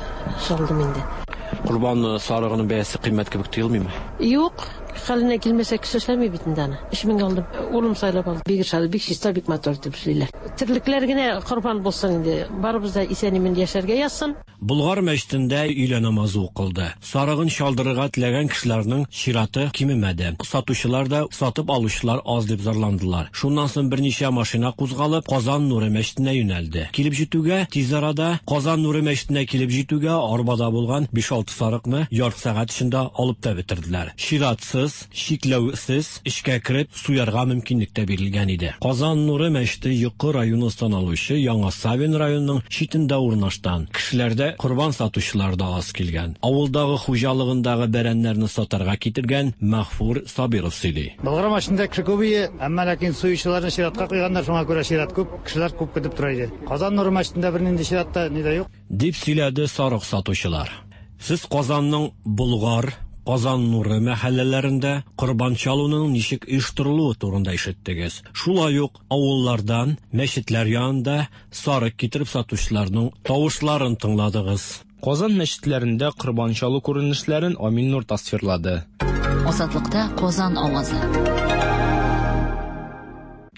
чалдым инде. Корбан сарыгының бәясе кыйммәт кебек тоелмыймы? Юк, хәленә килмәсә кеше эшләми бит инде аны. 3000 алдым. Улым сайлап алды. Бик ошады, бик чиста, бик матур итеп эшлиләр. Терлекләр генә корбан булсын инде. Барыбыз да исән-имин яшәргә язсын. Болгар мәчетендә өйлә намазы укылды. Сарыгын чалдырырга теләгән кешеләрнең чираты кимемәде. Сатучылар да, сатып алучылар аз дип зарландылар. Шуннан соң берничә машина кузгалып, Казан нуры мәчетенә юнәлде. Килеп җитүгә, тиз арада Казан нуры мәчетенә килеп җитүгә, арбада булган биш-алты сарыкны ярты сәгать эчендә алып та бетерделәр. Чиратсыз, чикләүсез эчкә кереп суярга мөмкинлек тә бирелгән иде. Казан нуры мәчете Йокы районы саналучы Яңа Савин районының читендә урнаштан. Кешеләр дә, корбан сатучылар да аз килгән. Авылдагы хуҗалыгындагы бәрәннәрне сатарга китергән Мәгъфур Сабиров сөйли. Болгар мәчетендә кеше күп ие, әмма ләкин суючыларны чиратка куйганнар, шуңа күрә чират күп, кешеләр күп көтеп тора иде. Казан нуры мәчетендә бернинди чират та, ни дә юк. Дип сөйләде сарык сатучылар. Сез Казанның Болгар, Казан нуры мәхәлләләрендә корбан чалуның ничек оештырылуы турында ишеттегез. Шулай ук авыллардан, мәчетләр янында сарык китереп сатучыларның тавышларын тыңладыгыз. Казан мәчетләрендә корбан чалу күренешләрен Амил Нур тасвирлады. Азатлыкта Казан авазы.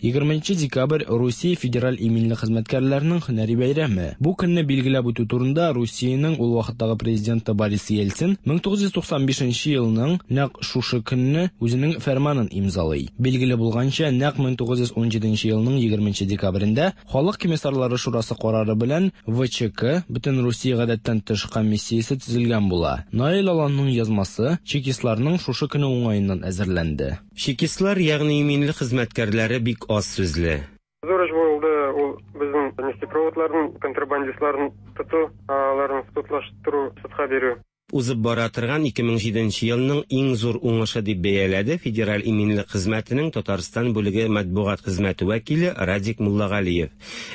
20 декабрь Русия федераль иминлек хезмәткәрләренең һөнәри бәйрәме. Бу көнне билгеләп үтү турында Русиянең ул вакыттагы президенты Борис Ельцин 1995 елның нәкъ шушы көнне үзенең фәрманын имзалый. Билгеле булганча, нәкъ 1917 елның 20 декабрендә Халык комиссарлары шурасы карары белән ВЧК, Бөтенрусия гадәттән тыш комиссиясе төзелгән була. Наил Аланның язмасы чекистларның шушы көне уңаеннан әзерләнде. Чекистлар, ягъни иминлек хезмәткәрләре бик аз сүзле. Зур эш булды ул безнең нефтепроводларны, контрабандистларны тоту, аларны судлаштыру, судка бирү. Узып бара торган 2007 нче елның иң зур уңышы дип бәяләде Федераль иминлек хезмәтенең Татарстан бүлеге матбугат хезмәте вәкиле Радик Муллагалиев.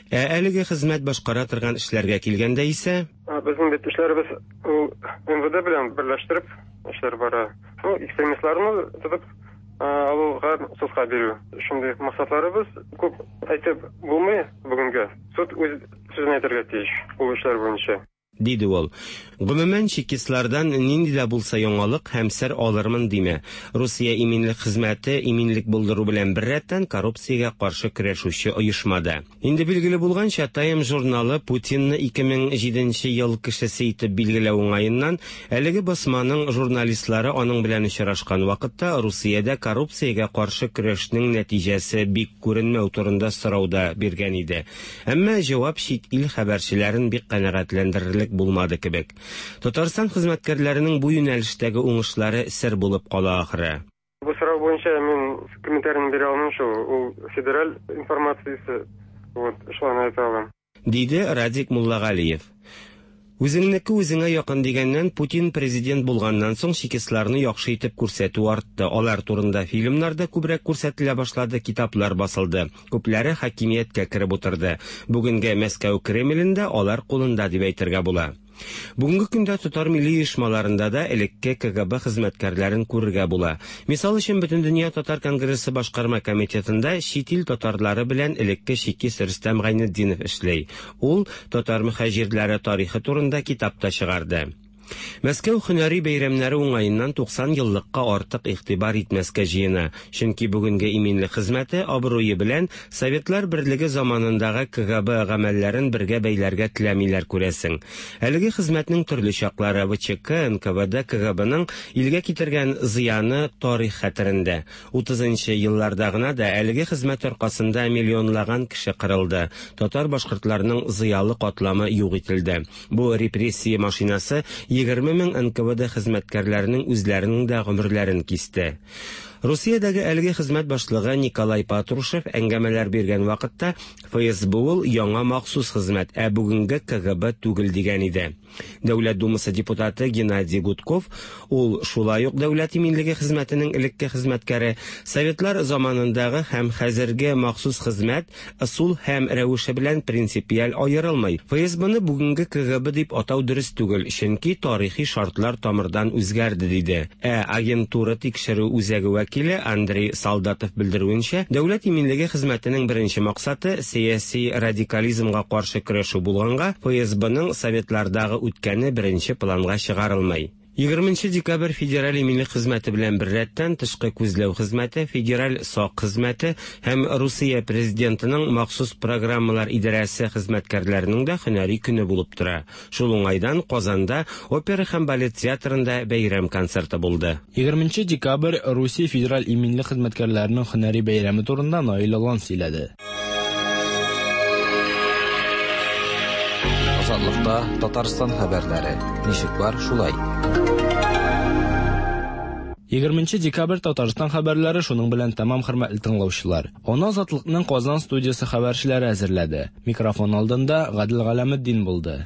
Ә әлеге хезмәт башкара торган эшләргә килгәндә исә. Безнең бит эшләребез ул МВД белән берләштереп эшләр бара. Ну, экстремистларны тотып алуга судка бирү. Шундый максатларыбыз күп әйтеп булмый бүгенгә. Суд үз сүзен әйтергә тиеш ул эшләр буенча. Диде ул. Гомумән, чекистлардан нинди дә булса яңалык һәм сер алырмын димә. Русия иминлек хезмәте иминлек булдыру белән беррәттән коррупциягә каршы көрәшүче оешма да. Инде билгеле булганча, Time журналы Путинны 2007 нче ел кешесе итеп билгеләү уңаеннан, әлеге басманың журналистлары аның белән очрашкан вакытта Русиядә коррупциягә каршы көрәшнең нәтиҗәсе бик күренмәү турында сорау да биргән иде. Әмма җавап чит ил хәбәрчеләрен бик канәгатьләндерерлек булмады кебек. Татарстан хезмәткәрләренең бу юнәлештәге уңышлары сер булып кала ахры. Бу сорау буенча мин комментарийны бирә алмыйм шул, ул федераль информациясе, вот, шулай әйтә алам. Диде Радик Муллагалиев. Үзеңнеке үзеңә якын дигәннән, Путин президент булганнан соң чекистларны яхшы итеп күрсәтү артты. Алар турында фильмнар да күбрәк күрсәтелә башлады, китаплар басылды. Күпләре хакимияткә кереп утырды. Бүгенге Мәскәү Кремлендә алар кулында дип әйтергә була. Бүгенге көндә татар милли оешмаларында да элекке КГБ хезмәткәрләрен күрергә була. Мисал өчен, Бөтендөнья татар конгрессы башкарма комитетында чит ил татарлары белән элекке чекист Рөстәм Гайнетдинов эшли. Ул татар мөхаҗирләре тарихы турында китап та чыгарды. Мәскәү һөнәри бәйрәмнәре уңаеннан 90 еллыкка артык игътибар итмәскә җыена, чөнки бүгенге иминлек хезмәте абруе белән Советлар Берлеге заманындагы КГБ гамәлләрен бергә бәйләргә теләмиләр, күрәсең. Әлеге хезмәтнең төрле чаклары, ВЧК, НКВД, КГБның илгә китергән зыяны тарих хәтерендә. Утызынчы елларда гына да әлеге хезмәт аркасында миллионлаган кеше кырылды, татар-башкортларның зыялы катламы юк ителде. Бу репрессия машинасы 20 мең НКВД хезмәткәрләренең үзләренең дә гомерләрен кисте. Русиядәге әлеге хезмәт башлыгы Николай Патрушев әңгәмәләр биргән вакытта ФСБ ул яңа махсус хезмәт, ә бүгенге КГБ түгел дигән иде. Дәүләт Думасы депутаты Геннадий Гудков, ул шулай ук Дәүләт иминлеге хезмәтенең элекке хезмәткәре, Советлар заманындагы һәм хәзерге махсус хезмәт ысул һәм рәвеше белән принципиаль аерылмый. ФСБны бүгенге КГБ дип атау дөрес түгел, чөнки тарихи шартлар тамырдан үзгәрде, диде. Ә агентура тикшерү үзәге вәкиле Андрей Солдатов белдерүенчә, Дәүләт иминлеге хезмәтенең беренче максаты сәяси радикализмга каршы көрәшү булганга, ФСБның советлардагы үткәне беренче планга чыгарылмый. 20 декабрь Федераль иминлек хезмәте белән беррәттән Тышкы күзләү хезмәте, Федераль сак хезмәте һәм Русия Президентының махсус программалар идарәсе хезмәткәрләренең дә һөнәри көне булып тора. Шул уңайдан Казанда Опера һәм балет театрында бәйрәм концерты булды. 20 декабрь Русия Федераль иминлек хезмәткәрләренең һөнәри бәйрәме турында Наил Алан сөйләде. Азатлыкта Татарстан хәбәрләре. Ничек бар, шулай. 20 декабрь Татарстан хәбәрләре шуның белән тәмам, хөрмәтле тыңлаучылар. Аны Азатлыкның Казан студиясе хәбәрчеләре әзерләде. Микрофон алдында Гадел Галәметдин булды.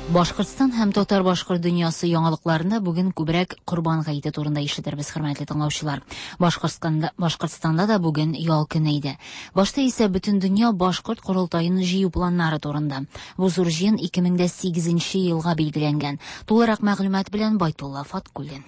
Башкортстан һәм татар-башкорт дөньясы яңалыкларында бүген күбрәк Корбан гаете турында ишетербез, хөрмәтле тыңлаучылар. Башкортстанда, Башкортстанда да бүген ял көне иде. Башта исә Бөтендөнья башкорт корылтаен җыю планнары турында. Бу зур җыен 2008 елга билгеләнгән. Тулырак мәгълүмат белән Байтулла Фаткуллин.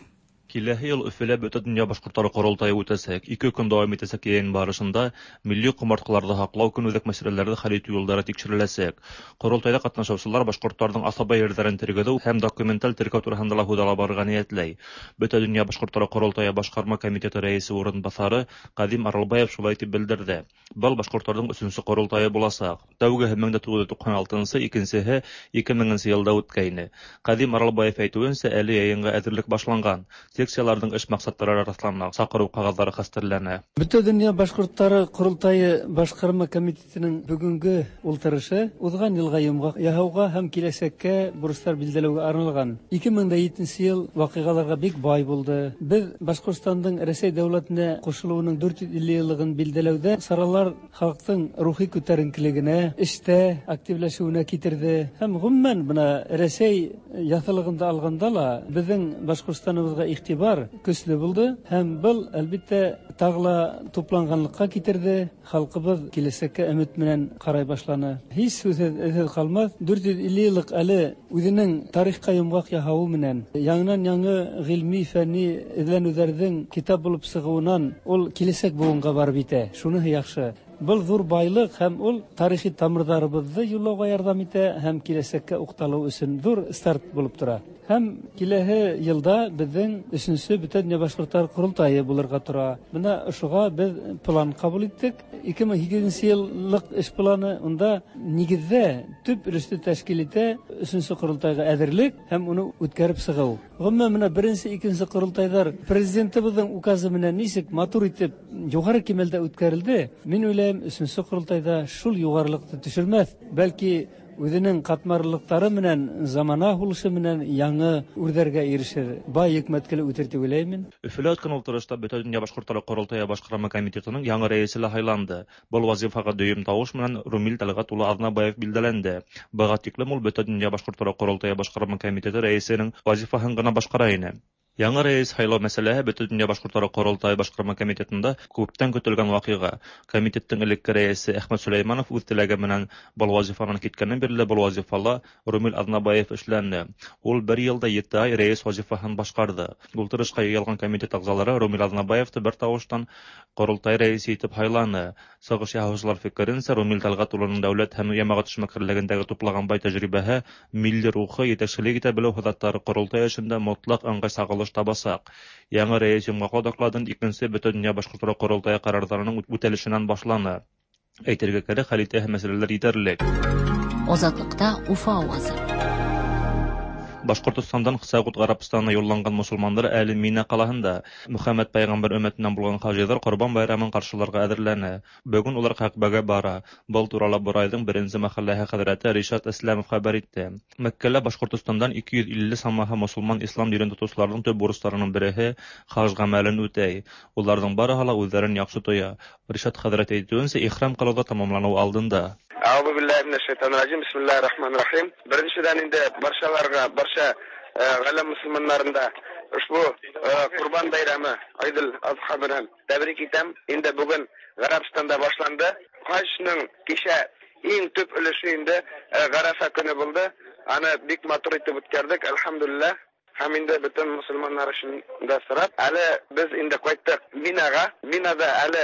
Киләһе ел Өфөлә Бөтендөнья башкортлары корылтае үтәчәк. Ике көн дәвам итәчәк йыйын барышында милли комарткыларны һаклау, көнүзәк мәсьәләләрне хәл итү юллары тикшереләчәк. Корылтайда катнашучылар башкортларның асаба йирләрен тергезү һәм документаль теркәү турысында ла һүз ала барырга ниятләй. Бөтендөнья башкортлары корылтае башкарма комитеты рәисе урынбасары Кадим Аралбаев шулай дип белдерде. Был башкортларның өченче корылтае булачак. Тәүгеһе 1996, икенчеһе 2000 елда үткәйне. Кадим Аралбаев әйтүенчә, әле йыйынга әзерлек башланган. Секцияларның эш максатлары раслана, чакыру кәгазьләре хәстәрләнә. Бөтендөнья башкортлары корылтае башкарма комитетының бүгенге ултырышы узган елга йомгак яһауга һәм киләчәккә бурычлар билгеләүгә арналган. 2007 ел вакыйгаларга бик бай булды. Без Башкортстанның Рәсәй дәүләтенә кушылуының 450 еллыгын билгеләүдә чаралар халыктың рухи күтәренкелегенә, эштә активләшүенә китерде. Һәм гомумән менә Рәсәй яҫылыгында алганда ла безнең Башкортстаныбызга игътибар көчле булды һәм был әлбиттә тагы ла тупланганлыкка китерде. Халкыбыз киләчәккә өмет менән карай башланы. Һич сүзсез эзсез калмас. 450 еллык әле үзенең тарихка йомгак яһавы менән яңынан-яңы гыйльми, фәнни эзләнүләрнең китап булып чыгуыннан ул киләчәк буынга барып итә. Шуныһы яхшы. Был зур байлык һәм ул тарихи тамырларыбызны юллауга ярдәм итә һәм киләчәккә укталу өчен зур старт булып тора. Һәм киләһе елда безнең өченче Бөтендөнья башкортлар корылтае булырга тора. Менә шуга без план кабул иттек. 2008 еллык эш планы унда нигездә төп өлешне тәшкил итә өченче корылтайга әзерлек һәм уны үткәреп чыгу. Гомумән менә беренче, икенче корылтайлар президентыбызның указы менән ничек матур итеп югары кимәлдә үткәрелде. Мин уйлыйм, өченче корылтайда шул югарылыкны төшермәс, бәлки үзенең катмарлыклары менән, замана һулышы менән яңы үрдәргә ирешер. Бай йөкмәткеле үтер дип уйлыйм мин. Өфөлә үткән ултырышта Бөтендөнья башкортлары корылтае башкарма комитетының яңы рәисе лә һайланды. Был вазифага дөйөм тавыш менән Румил Тәлгать улы Аҙнабаев билдәләнде. Быға тиклем ул Бөтендөнья башкортлары корылтае башкарма комитеты рәисенең вазифаһын гына башкара ине. Яңы рәис һайлау мәсьәләһе Бөтендөнья башкортлары корылтае башкарма комитетында күптән көтелгән ваҡиға. Комитеттың элекке рәисе Әхмәт Сөләйманов үҙ теләге менән был вазифанан киткәннән бирле был вазифала Румил Аҙнабаев эшләне. Ул бер йылда 7 ай рәис вазифаһын башҡарҙы. Ултырышҡа йыйылған комитет ағзалары Румил Аҙнабаевты бер тауыштан ҡоролтай рәисе итеп һайланы. Сығыш яһаусылар фекеренсә, Румил Тәлғәт улының дәүләт һәм йәмәғәт эшмәкәрлегендәге туплаған бай тәжрибәһе, милли рухы, етәкселек итә белеү һыҙаттары ҡоролтай эшендә мотлаҡ ыңғай сағылыш табасаҡ. Яңы рәис йомғаҡлау докладын икенсе Бөтендөнья башҡортлары ҡоролтайы ҡарарҙарының үтәлешенән башланы. Әйтергә кәрәк, хәл итәһе мәсьәләләр етерлек. Азатлыкта Уфа авазы. Башҡортостандан Сәғүд Ғәрәбстанына юлланған мосолмандар әле Мина ҡалаһында. Мөхәммәд пәйғәмбәр өммәтенән булған хажиҙар Ҡорбан байрамын ҡаршыларға әҙерләнә. Бөгөн улар Кәғбәгә бара. Был турала Борайҙың беренсе мәхәлләһе хәҙрәте Ришат Ислямов хәбәр итте. Мәккәлә Башҡортостандан 250 самаһы мосолман ислам динен тотоусыларҙың төп бурыстарының береһе хаж ғәмәлен үтәй. Уларҙың барыһы ла үҙҙәрен яҡшы тоя. Ришат хәҙрәт әйтеүенсә, ихрам ҡылыу ҙа тамамланыу алдында. Әғүзу биллаһи минәш шайтанир раҗим. Бисмиллаһир рахманир рахим. Беренчедән инде баршаларга, барша ғаләм мусулманнарында ошбу Ҡорбан байрамы Айдул Азха менән тәбрик итәм. Инде бүген Ғәрәбстанда башланды. Хаҗның кичә иң төп өлеше инде Ғарафа көне булды. Аны бик матур итеп үткәрдек, әлхәмдүлилләһ. Һәм инде бөтен мусулманнар өчен дә сорап, әле без инде кайттык Минага. Минада әле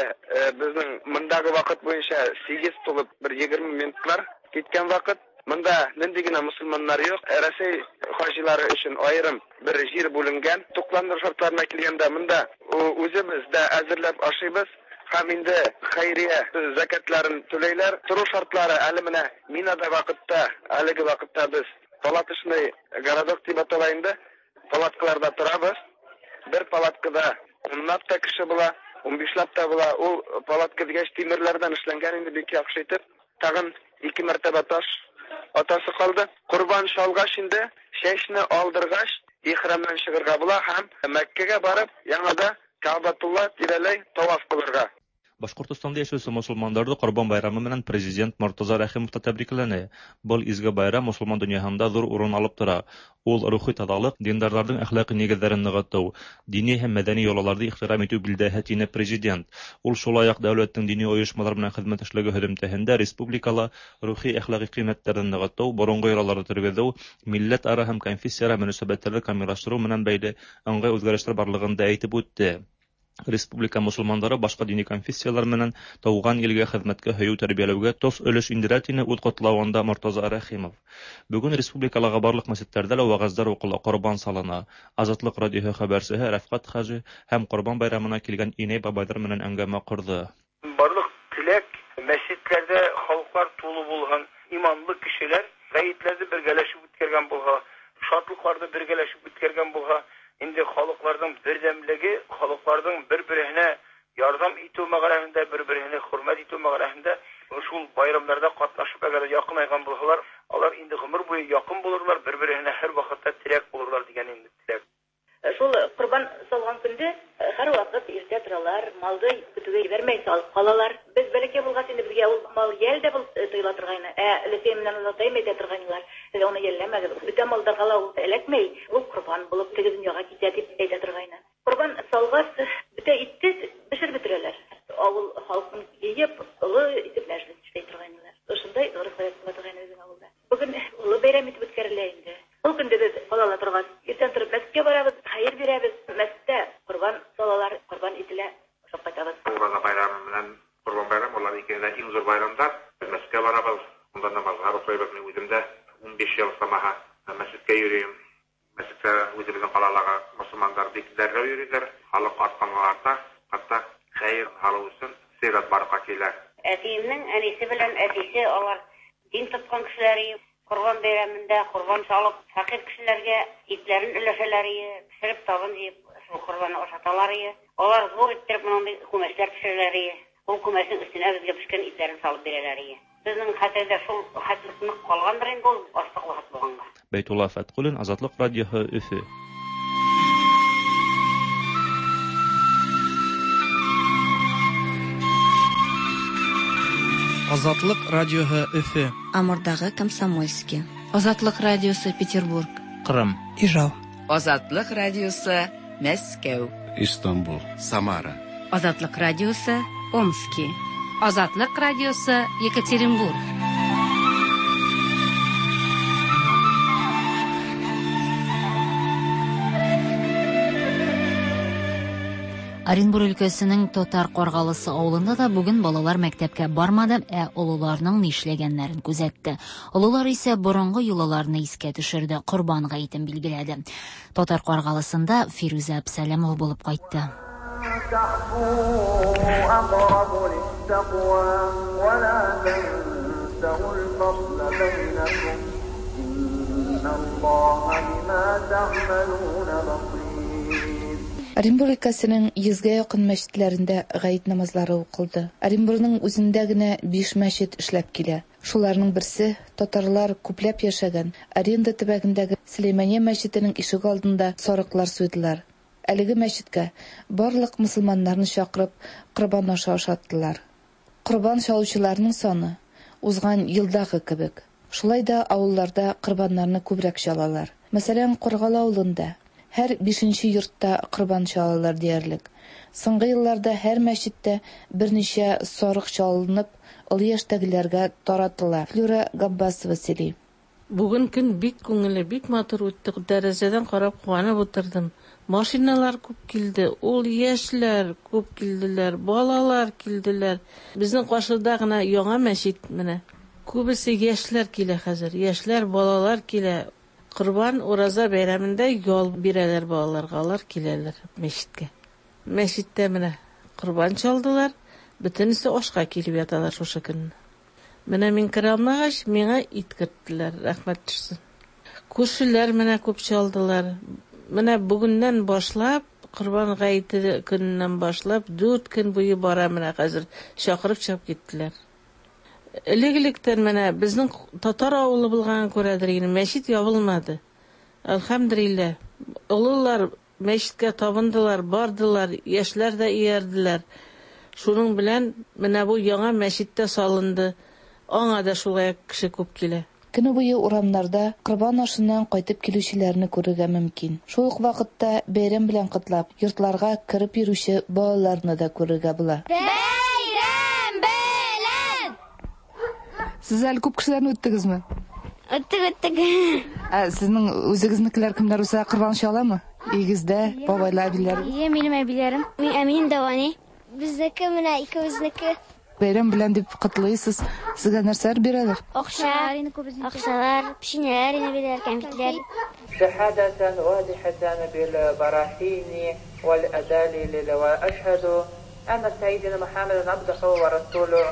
безнең мондагы вакыт буенча 8 тулып бер 20 минутлар киткән вакыт. Монда нинди генә мусулманнар юк. Рәсәй хаҗилары өчен аерым бер җир бүленгән. Тукландыру шартларына килгәндә монда үзебез дә әзерләп ашыйбыз. Һәм инде хәйрия закатларын түләйләр. Тору шартлары әле менә Минада вакытта, әлеге вакытта без палаточный городок дип атала инде. Палаткаларда торабыз. Бер палаткада унлап та кеше була, унбишләп тә була. Ул палатка дигәч тимерләрдән эшләнгән инде бик яхшы итеп. Тагын 2 мәртәбә таш атасы калды. Корбан шалгач инде, чәчне алдыргач, ихрамнан чыгарга була һәм Мәккәгә барып, яңада Кәгъбәтулла тирәләй таваф кылырга. Башкортостанда яшәүче мосылманнарны Корбан байрамы белән президент Мортаза Рәхимов та тәбрикләне. Был изге байрам мосылман дөньяһында зур урын алып тора. Ул рухи тазалык, диндарларның әхлакый нигезләрен ныгыту, дини һәм мәдәни йолаларны ихтирам итү билдәһе, тине президент. Ул шулай ук дәүләтнең дини оешмалар белән хезмәттәшлеге һөҙөмтәһендә республикала рухи-әхлакый кыйммәтләрне ныгыту, борынгы йолаларны тергезү, милләтара һәм конфессияара мөнәсәбәтләрне камиллаштыру белән бәйле ыңгай үзгәрешләр барлыгын да әйтеп үтте. Республика мосылмандары башка дини конфессияләр менән туган илгә хезмәткә һөю тәрбияләүгә тос өлеш индерә, тине үз котлавында Мортаза Рәхимов. Бүген республикалагы барлык мәчетләрдә лә вәгазьләр укыла, корбан салына. Азатлык радиоһы хәбәрчеһе Рәфкать хаҗи һәм Корбан байрамына килгән инәй-бабайлар менән әңгәмә корды. Барлык теләк, мәчетләрдә халыклар тулы булһын, иманлы кешеләр гаетләрне бергәләшеп үткәргән булһа, шатлыкларны бергәләшеп үткәргән булһа, инде халыкларның бердәмлеге, халыкларның бер-береһенә ярдәм итү мәгънәһендә, бер-береһене хөрмәт итү мәгънәһендә шул байрамнарда катнашып, әгәр дә якынайган булһалар, алар инде гомер буе якын булырлар, бер-береһенә һәрвакытта терәк булырлар дигән инде теләк. Шул корбан салган көндә һәрвакыт иртә торалар, малды көтүгә җибәрмәй салып калалар. Без бәләкәй булгач инде безгә ул мал йәл дә булып тоела торгайны. Ә өләсәем белән олатаем әйтә торгайнылар, Сез аны йәлләмәгез, бөтә малдарга ла ул эләкмәй, ул корбан булып теге дөньяга китә, дип әйтә торгайны. Корбан салгач, бөтә итте пешереп бетерәләр. Авыл халкын җыеп, олы итеп мәҗлес эшли торгайнылар. Шундай гореф-гадәт була торгайны безнең авылда. Бүген олы бәйрәм итеп үткәрелә инде. Ул көндә без балалар торгач, иртән торып мәчеткә барабыз, хәер бирәбез. Мәчеттә корбан салалар, корбан ителә, ашап кайтабыз. Ураза байрамы белән Корбан байрамы, алар икесе дә иң зур байрамнар. Без мәчеткә барабыз, монда намазлар укыйбыз. Мин үзем дә 15 ел самаһа мәчеткә йөрим. Мәчеткә үзебезнең калалага мосылманнар бик дәррәү йөриләр. Халык артканга-арта, хәтта хәер алу өчен зыярат барырга килә. Әтиемнең әнисе белән әтисе алар Дин тоткан кешеләр ие. Корбан бәйрәмендә корбан чалып, фәкыйрь кешеләргә итләрен өләшәләр ие, пешереп табын җыеп, шул корбанны ашаталар ие. Алар зур иттереп мондый күмәчләр пешерәләр ие. Ул күмәчнең өстенә безгә пешкән итләрен салып бирәләр ие. Безнең хәтердә шул хәтлек нык калгандыр инде ул, ачлык вакыт булганга. Бәйтулла Фәткуллин, Азатлык радиоһы, Өфе. Азатлык радиоһы Өфе. Амурдагы Комсомольски. Азатлык радиосы Петербург. Кырым. Ижау. Азатлык радиосы Мәскәү. Истанбул. Самара. Азатлык радиосы Омски. Азатлык радиосы Екатеринбург. Оренбур өлкәсенең Татар Каргалысы авылында да бүген балалар мәктәпкә бармады, ә олыларның нишләгәннәрен күзәтте. Олылар исә борынгы йолаларны искә төшерде, Корбан гаетен билгеләде. Татар Каргалысында Фирүзә Әпсәләмова булып кайтты. Оренбур өлкәсенең йөзгә якын мәчетләрендә гает намазлары укылды. Оренбурның үзендә генә биш мәчет эшләп килә. Шуларның берсе, татарлар күпләп яшәгән Аренда төбәгендәге Сөләймания мәчетенең ишек алдында сарыклар суйдылар. Әлеге мәчеткә барлык мөселманнарны чакырып, корбан ашы ашаттылар. Корбан чалучыларның саны узган елдагы кебек. Шулай да авылларда корбаннарны күбрәк чалалар. Мәсәлән, Каргалы авылында һәр бишенче йортта корбан чалалар диярлек. Соңгы елларда һәр мәчеттә берничә сарык чалынып, олы яшьтәгеләргә таратыла. Флюра Габбасова сөйли. Бүген көн бик күңелле, бик матур үтте. Тәрәзәдән карап куанып утырдым. Машиналар күп килде, ул яшьләр күп килделәр, балалар килделәр. Безнең каршыда гына яңа мәчет менә. Күбесе яшьләр килә хәзер. Яшьләр, балалар килә. Корбан, Ураза бәйрәмендә ял бирәләр балаларга, алар киләләр мәчеткә. Мәчеттә менә корбан чалдылар, бөтенесе ашка килеп яталар шушы көнне. Менә мин керә алмагач, миңа ит керттеләр, рәхмәт төшсен. Күршеләр менә күп чалдылар. Менә бүгеннән башлап, Корбан гаете көненнән башлап, дүрт көн буе бара менә хәзер, чакырып чыгып киттеләр. Элек-электән менә безнең татар авылы булганга күрәдер инде, мәчет ябылмады. Әлхәмдүлилләһ. Олылар мәчеткә табындылар, бардылар, яшьләр дә иярделәр. Шуның белән менә бу яңа мәчет тә салынды. Аңа да шулай ук кеше күп килә. Көне буе урамнарда корбан ашыннан кайтып килүчеләрне күрергә мөмкин. Шул ук вакытта бәйрәм белән котлап, йортларга кереп йөрүче балаларны да күрергә була. Бәйрәм белән! Сез әле күп кешеләрне үттегезме? Үттек, үттек. Ә сезнең үзегезнекеләр кемнәр булса корбан чаламы? Өегездә бабайлар, әбиләр? Әйе, минем әбиләрем. Мин әмин дәвани. Безнеке менә икебезнеке. Бәйрәм белән дип котлыйсыз. Сезгә нәрсәләр бирәләр? Акча, акчалар, печеньеләр инде бирәләр, кәнфитләр. Шәһадәтән вадихәтән бил барахини вәл әдәлилил вә әшһәдү әннә сәйдинә Мөхәммәдән абдуху вә расулү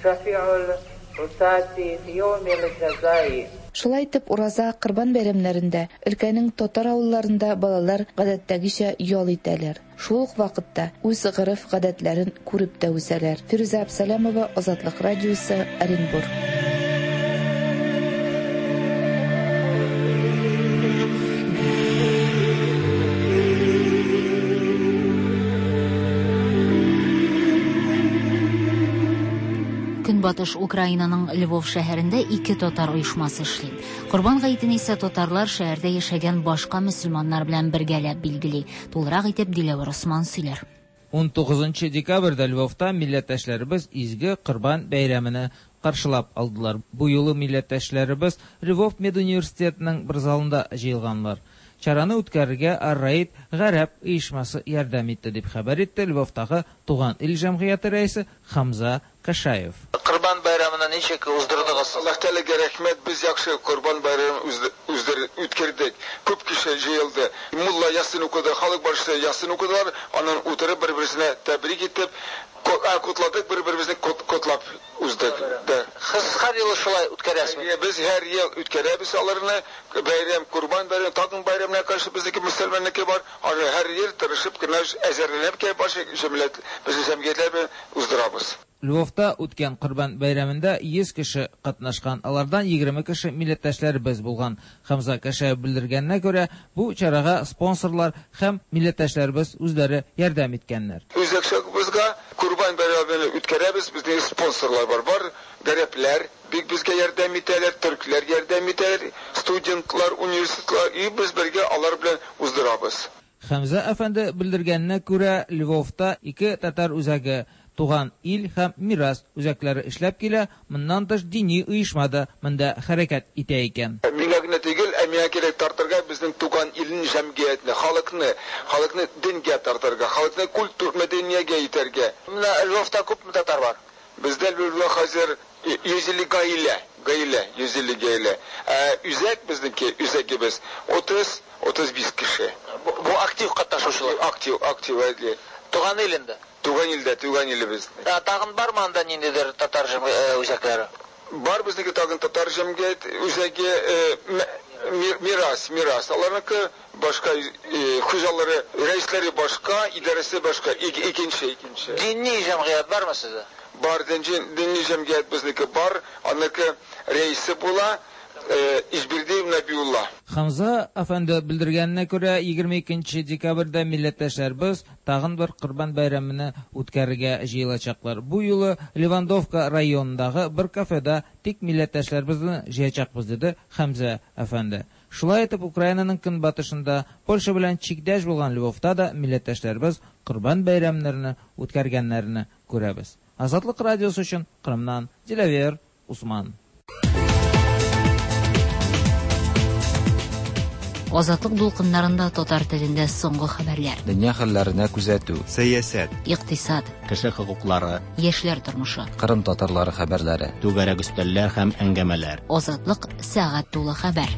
шәфи'ул гусати фи яумил җәзаи. Шулай итеп, Ураза, Корбан бәйрәмнәрендә өлкәнең татар авылларында балалар гадәттәгечә ял итәләр. Шул ук вакытта үз гореф-гадәтләрен күреп тә үсәләр. Фирүзә Абсалямова, Азатлык радиосы, Оренбург. Көнбатыш Украинаның Львов шәһәрендә ике татар оешмасы эшли. Корбан гаетен исә татарлар шәһәрдә яшәгән башка мөселманнар белән бергәләп билгели. Тулырак итеп Диләвәр Осман сөйләр. 19 декабрьдә Львовта милләттәшләребез изге Корбан бәйрәмене каршылап алдылар. Бу юлы милләттәшләребез Львов медуниверситетының бер залында җыелганлар. Чараны үткәрергә Ар-Раид гарәп оешмасы ярдәм итте, дип хәбәр итте Львовтагы Туган ил җәмгыяте рәисе Хамза Кашаев. Корбан байрамын ничек уздырдыгыз? Аллаһ Тәгаләгә рәхмәт, без яхшы Корбан байрамын үткәрдек. Күп кеше җыелды. Мулла ясин укыды, халык барысы ясин укыдылар. Аннан утырып бер-берсенә тәбрик итеп, котладык, бер-беребезне котлап уздык. Да. Сез һәр елы шулай үткәрәсезме? Без һәр ел үткәрәбез аларны. Бәйрәм, Корбан бәйрәме, тагын бәйрәмнәр каршы безнеке мөселманныкы бар. Аны һәр ел тырышып кына әзерләнеп килеп башы җәмгыять, безнең җәмгыятьләр белән уздырабыз. Львовта үткән Корбан бәйрәмендә 100 кеше катнашкан, алардан 20 кеше милләттәшләребез булган. Хамза Кашаев белдергәненә күрә, бу чарага спонсорлар һәм милләттәшләребез үзләре ярдәм иткәннәр. Үз акчабызга Корбан бәйрәмен үткәрәбез, безнең спонсорлар бар. Бар гарәпләр бик безгә ярдәм итәләр, төркләр ярдәм итәләр, студентлар, университетлар, и без бергә алар белән уздырабыз. Хәмзә әфәнде белдергәненә күрә, Львовта ике татар үзәге, Туган ил һәм Мирас үзәкләре эшләп килә, моннан тыш дини оешма да монда хәрәкәт итә икән. Миңа генә түгел, ә миңа кирәк тартырга безнең туган илнең җәмгыятьне, халыкны, халыкны дингә тартырга, халыкны культур, мәдәниягә итәргә. Менә Львовта күпме татар бар? Бездә Львовда хәзер 150 гаилә, гаилә, 150 гаилә. Ә үзәк безнеке, үзәгебез 30, 35 кеше. Бу актив катнашучылар? Актив, актив, әйе. Туган ил инде? Туган илдә, туган илебез. Ә тагын бармы анда ниндидер татар үзәкләре? Бар безнеке тагын татар җәмгыять үзәге, Мирас, Мирас. Аларныкы башка, хуҗалары, рәисләре башка, идарәсе башка, икенче, икенче. Дини җәмгыять бармы сездә? Бар, дини җәмгыять безнеке бар, аныкы рәисе була Ижбирдиев Нәбиулла. Хамза әфәнде белдергәненә күрә, 22 декабрьдә милләттәшләребез тагын бер Корбан бәйрәмене үткәрергә җыелачаклар. Бу юлы Левандовка районындагы бер кафеда тик милләттәшләребезне җыячакбыз, диде Хәмзә әфәнде. Шулай итеп, Украинаның көнбатышында, Польша белән чиктәш булган Львовта да милләттәшләребез Корбан бәйрәмнәрне үткәргәннәрне күрәбез. Азатлык радиосы өчен Кырымнан Диләвер Усман. Азатлык дулкыннарында татар телендә соңгы хәбәрләр. Дөнья хәлләренә күзәтү. Сәясәт. Икътисад. Кеше хокуклары. Яшьләр тормышы. Кырым татарлары хәбәрләре. Түгәрәк өстәлләр һәм әңгәмәләр. Азатлык сәгать тулы хәбәр.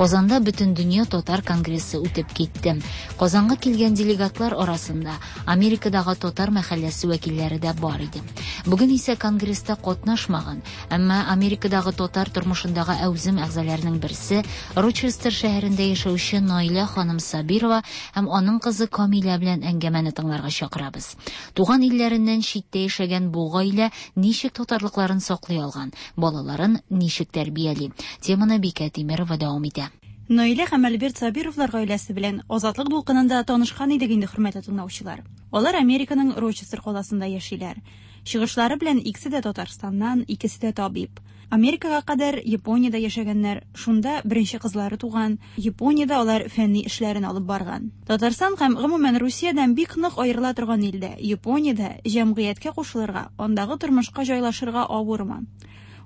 Казанда Бөтендөнья татар конгрессы үтеп китте. Казанга килгән делегатлар арасында Америкадагы татар мәхәлләсе вәкилләре дә бар иде. Бүген исә конгресста катнашмаган, әмма Америкадагы татар тормышындагы әүзем әгъзаларының берсе, Рочестер шәһәрендә яшәүче Наилә ханым Сабирова һәм аның кызы Камилә белән әңгәмәне тыңларга чакырабыз. Туган илләреннән читтә яшәгән бу гаилә ничек татарлыкларын саклый алган, балаларын ничек тәрбияли? Теманы Бикә Тимерова дәвам итә. Наилә һәм Альберт Сабировлар гаиләсе белән Азатлык дулкынында танышкан идек инде, хөрмәтле тыңлаучылар. Алар Американың Рочестер каласында яшиләр. Чыгышлары белән икесе дә Татарстаннан, икесе дә табиб. Америкага кадәр Япониядә яшәгәннәр, шунда беренче кызлары туган, Япониядә алар фәнни эшләрен алып барган. Татарстан һәм гомумән Русиядән бик нык аерыла торган илдә, Япониядә җәмгыятькә кушылырга, андагы тормышка җайлашырга авырмы?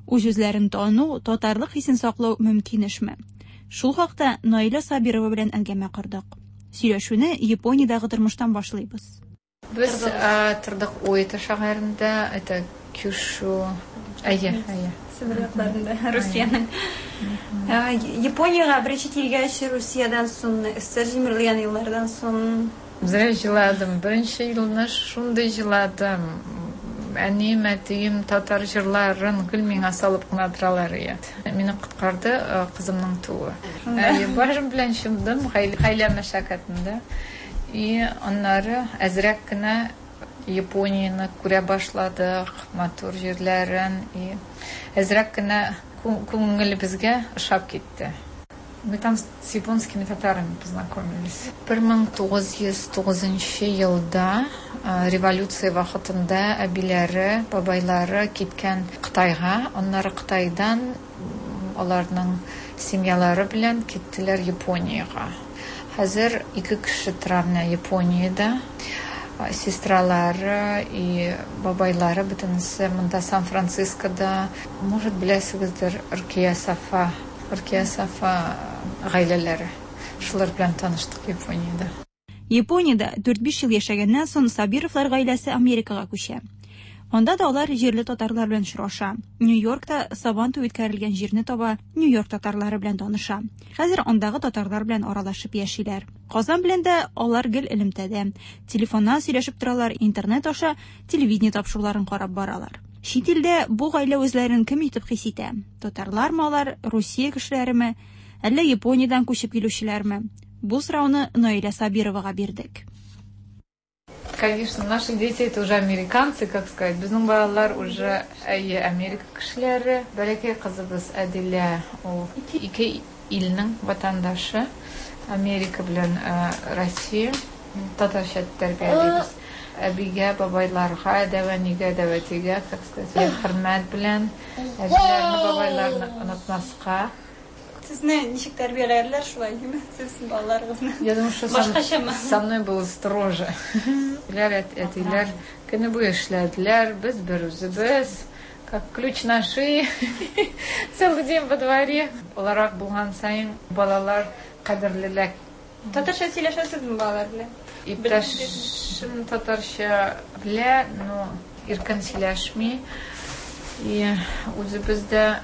Үз-үзләрен тану, татарлык хисен саклау мөмкин эшме? Шул хакта Наилә Сабирова белән әңгәмә кордык. Сөйләшүне Япониядәге тормыштан башлыйбыз. Без тордык Уэта шәһәрендә, это Кюшу. Әйе, әйе. Себер якларында, Русиянең. Япониягә беренче килгәч, Русиядән соң, СССР җимерелгән еллардан соң. Зря җыладым. Беренче елны шундый җыладым. Әнием, әтием татар җырларын гел миңа салып кына торалар иде. Мине коткарды кызымның тууы. Әйе, башым белән чумдым гаилә мәшәкатендә. И аннары әзрәк кенә Японияне күрә башладык, матур җирләрен. И әзрәк кенә күңелебезгә ошап китте. Мы там с японскими татарами познакомились. 1909 елда революция вакытында әбиләре, бабайлары киткән Кытайга, аннары Кытайдан аларның семьялары белән киттеләр Япониягә. Хәзер ике кеше тора менә Япониядә. Сестралары и бабайлары бөтенесе монда Сан-Францискода. Может, беләсегездер, Ркия Сафа, Ркия Сафа гаиләләре. Шулар белән таныштык Япониядә. Япониядә дүрт-биш ел яшәгәннән соң Сабировлар гаиләсе Америкага күчә. Анда да алар җирле татарлар белән очраша. Нью-Йоркта Сабан туе үткәрелгән җирне таба, Нью-Йорк татарлары белән таныша. Хәзер андагы татарлар белән аралашып яшиләр. Казан белән дә алар гел элемтәдә. Телефоннан сөйләшеп торалар, интернет аша телевидение тапшыруларын карап баралар. Чит илдә бу гаилә үзләрен кем итеп хис итә? Татарлармы алар, Русия кешеләреме, әллә Япониядән күчеп килүчеләрме? Бу сорауны Наилә Сабировага бирдек. Конечно, наши дети это уже американцы, как сказать. Безнең балалар уже әйе, Америка кешеләре. Бәләкәй кызыбыз Әдилә, ул ике илнең ватандашы, Америка белән Россия. Татарча тәрбиялибез. Әбигә, бабайларга, дәү әнигә, дәү әтигә, как сказать, хөрмәт белән, әбиләрне, бабайларны онытмаска. Сезне ничек тәрбияләрләр шулай, димме? Сез балаларыгызны. Я думаю, что Башкачамы? со мной было строже. Әтиләр, әтиләр көне буе эшләделәр, без бер үзебез, как ключ на шее, целый день во дворе. Олырак булган саен балалар кадерлерәк. Татарча сөйләшәсезме балалар белән? Иптәшем татарча белә, но иркен сөйләшми. И үзебез дә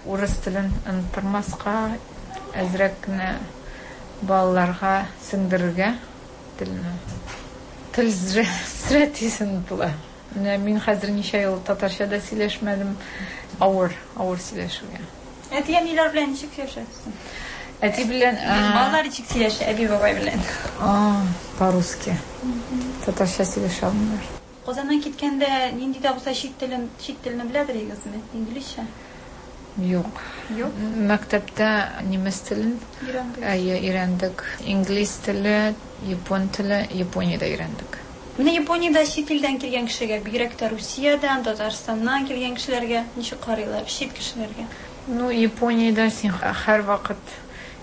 урыс телен оныттырмаска, әзрәк кенә балаларга сеңдерергә телне. Тел зря тиз онытыла. Менә мин хәзер ничә ел татарча да сөйләшмәдем. Авыр, авыр сөйләшергә. Әти-әниләр белән ничек сөйләшәсез? Әти белән, Балалар ничек сөйләшә әби-бабай белән? По-русски. Татарча сөйләшә алмыйлар. Казаннан киткәндә нинди дә булса чит телен, чит телне беләдер идегезме? Инглизчә? Юк. Юк? Мәктәптә немец телен Өйрәндек. Әйе, өйрәндек. Инглиз теле, япон теле Япониядә өйрәндек. Менә Япониядә чит илдән килгән кешегә, бигрәк тә Русиядән, Татарстаннан килгән кешеләргә ничек карыйлар, чит кешеләргә? Ну, Япониядә син һәрвакыт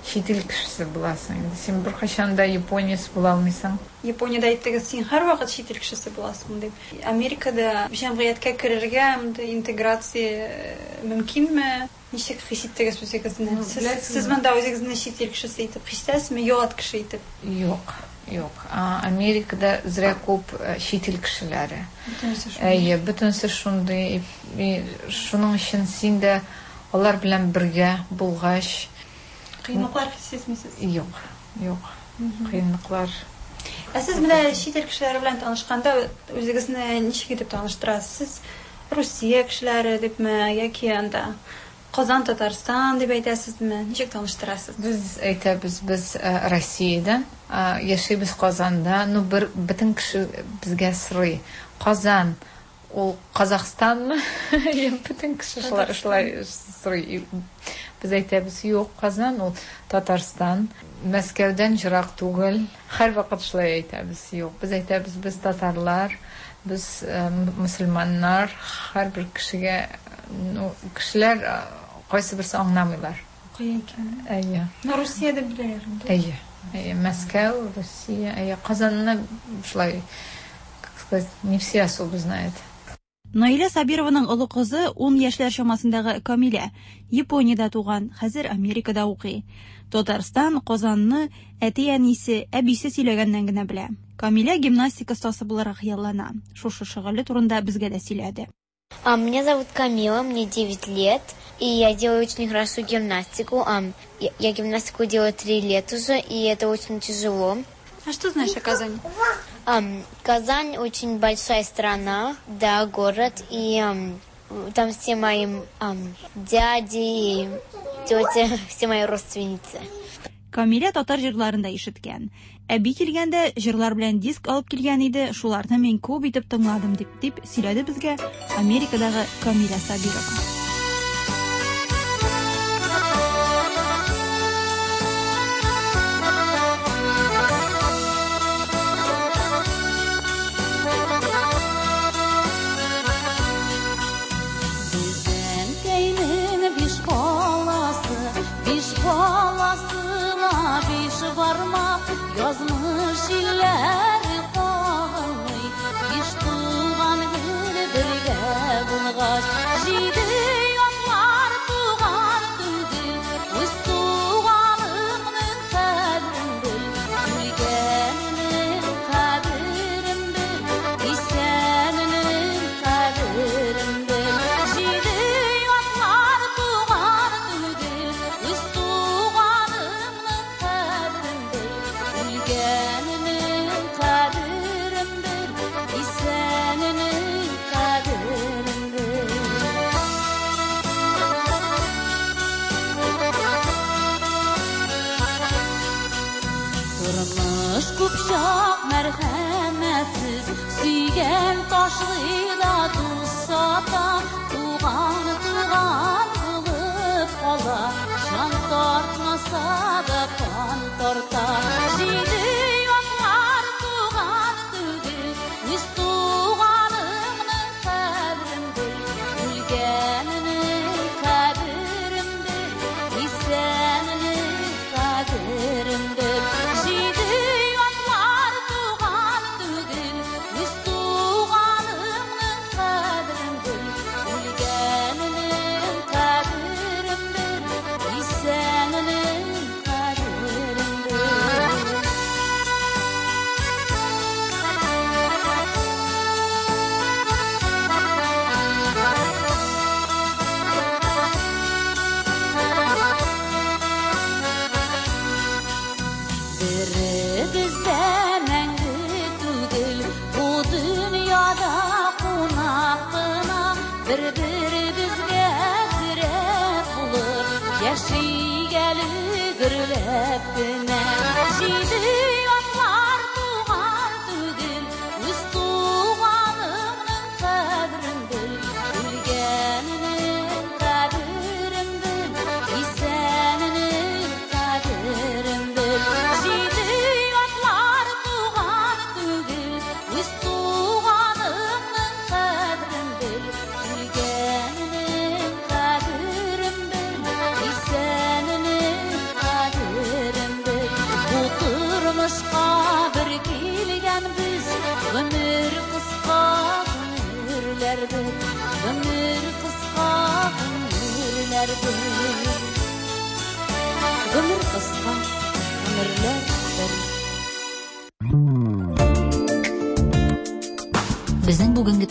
чит ил кешесе буласың. Инде син беркайчан да японец була алмыйсың. Япониядә әйттегез, син һәрвакыт чит ил кешесе буласың дип. Америкада җәмгыятькә керергә, мондый интеграция мөмкинме? Ничек хис иттегез үзегезне? Ну, Сез, беләсезме? сез монда үзегезне чит ил кешесе итеп хис итәсезме, ят кеше итеп? Юк, юк. Америкада зря күп чит ил кешеләре. Бөтенесе шундый. Әйе, бөтенесе шундый. И шуның өчен син дә алар белән бергә булгач, Кыенлыклар сизмисез? Юк, юк. Кыенлыклар. Ә сез менә чит ил кешеләре белән танышканда үзегезне ничек итеп таныштырасыз? Сез Русия кешеләре дипме яки анда Казан, Татарстан дип әйтәсезме? Ничек таныштырасыз? Без әйтәбез, без Россиядән, яшибез Казанда. Ну, бер бөтен кеше безгә сорый. Казан ул Казахстанмы? Бөтен кеше шулай шулай сорый. Без әйтәбез, юк, Казан ул Татарстан. Мәскәүдән ерак түгел. Һәрвакыт шулай әйтәбез, юк. Без әйтәбез, без татарлар, без мөселманнар. Һәрбер кешегә, ну, кешеләр кайсы берсе аңламыйлар. Кая икәнен. Әйе. Ну, Русиядә беләләр инде. Әйе. Әйе, Мәскәү, Русия, әйе, Казанны шулай, как сказать, не все особо знают. Наилә Сабированың олы кызы, ун яшьләр чамасындагы Камилә, Япониядә туган, хәзер Америкада укый. Татарстан, Казанны әти-әнисе, әбисе сөйләгәннән генә белә. Камилә гимнастика остасы булырга хыяллана. Шушы шөгыле турында безгә дә сөйләде. А, меня зовут Камила, мне 9 лет, и я делаю очень хорошо гимнастику. Я гимнастику делаю 3 лет уже, и это очень тяжело. А что знаешь о Казани? Казань очень большая страна, да, город, и там все мои дяди и тети, все мои родственницы. Камилә татар җырларын да ишеткән. Әби килгәндә җырлар белән диск алып килгән иде, шуларны мин күп итеп тыңладым дип, дип сөйләде безгә Америкадагы Камилә Сабирова. Исәненең кадерен бел.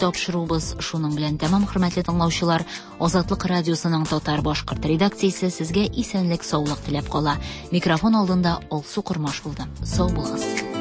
тапшыруыбыз шуның белән тәмам, хөрмәтле тыңлаучылар. Азатлык радиосының татар-башкорт редакциясе сезгә исәнлек-саулык теләп кала. Микрофон алдында Алсу Кормаш булды. Сау булыгыз.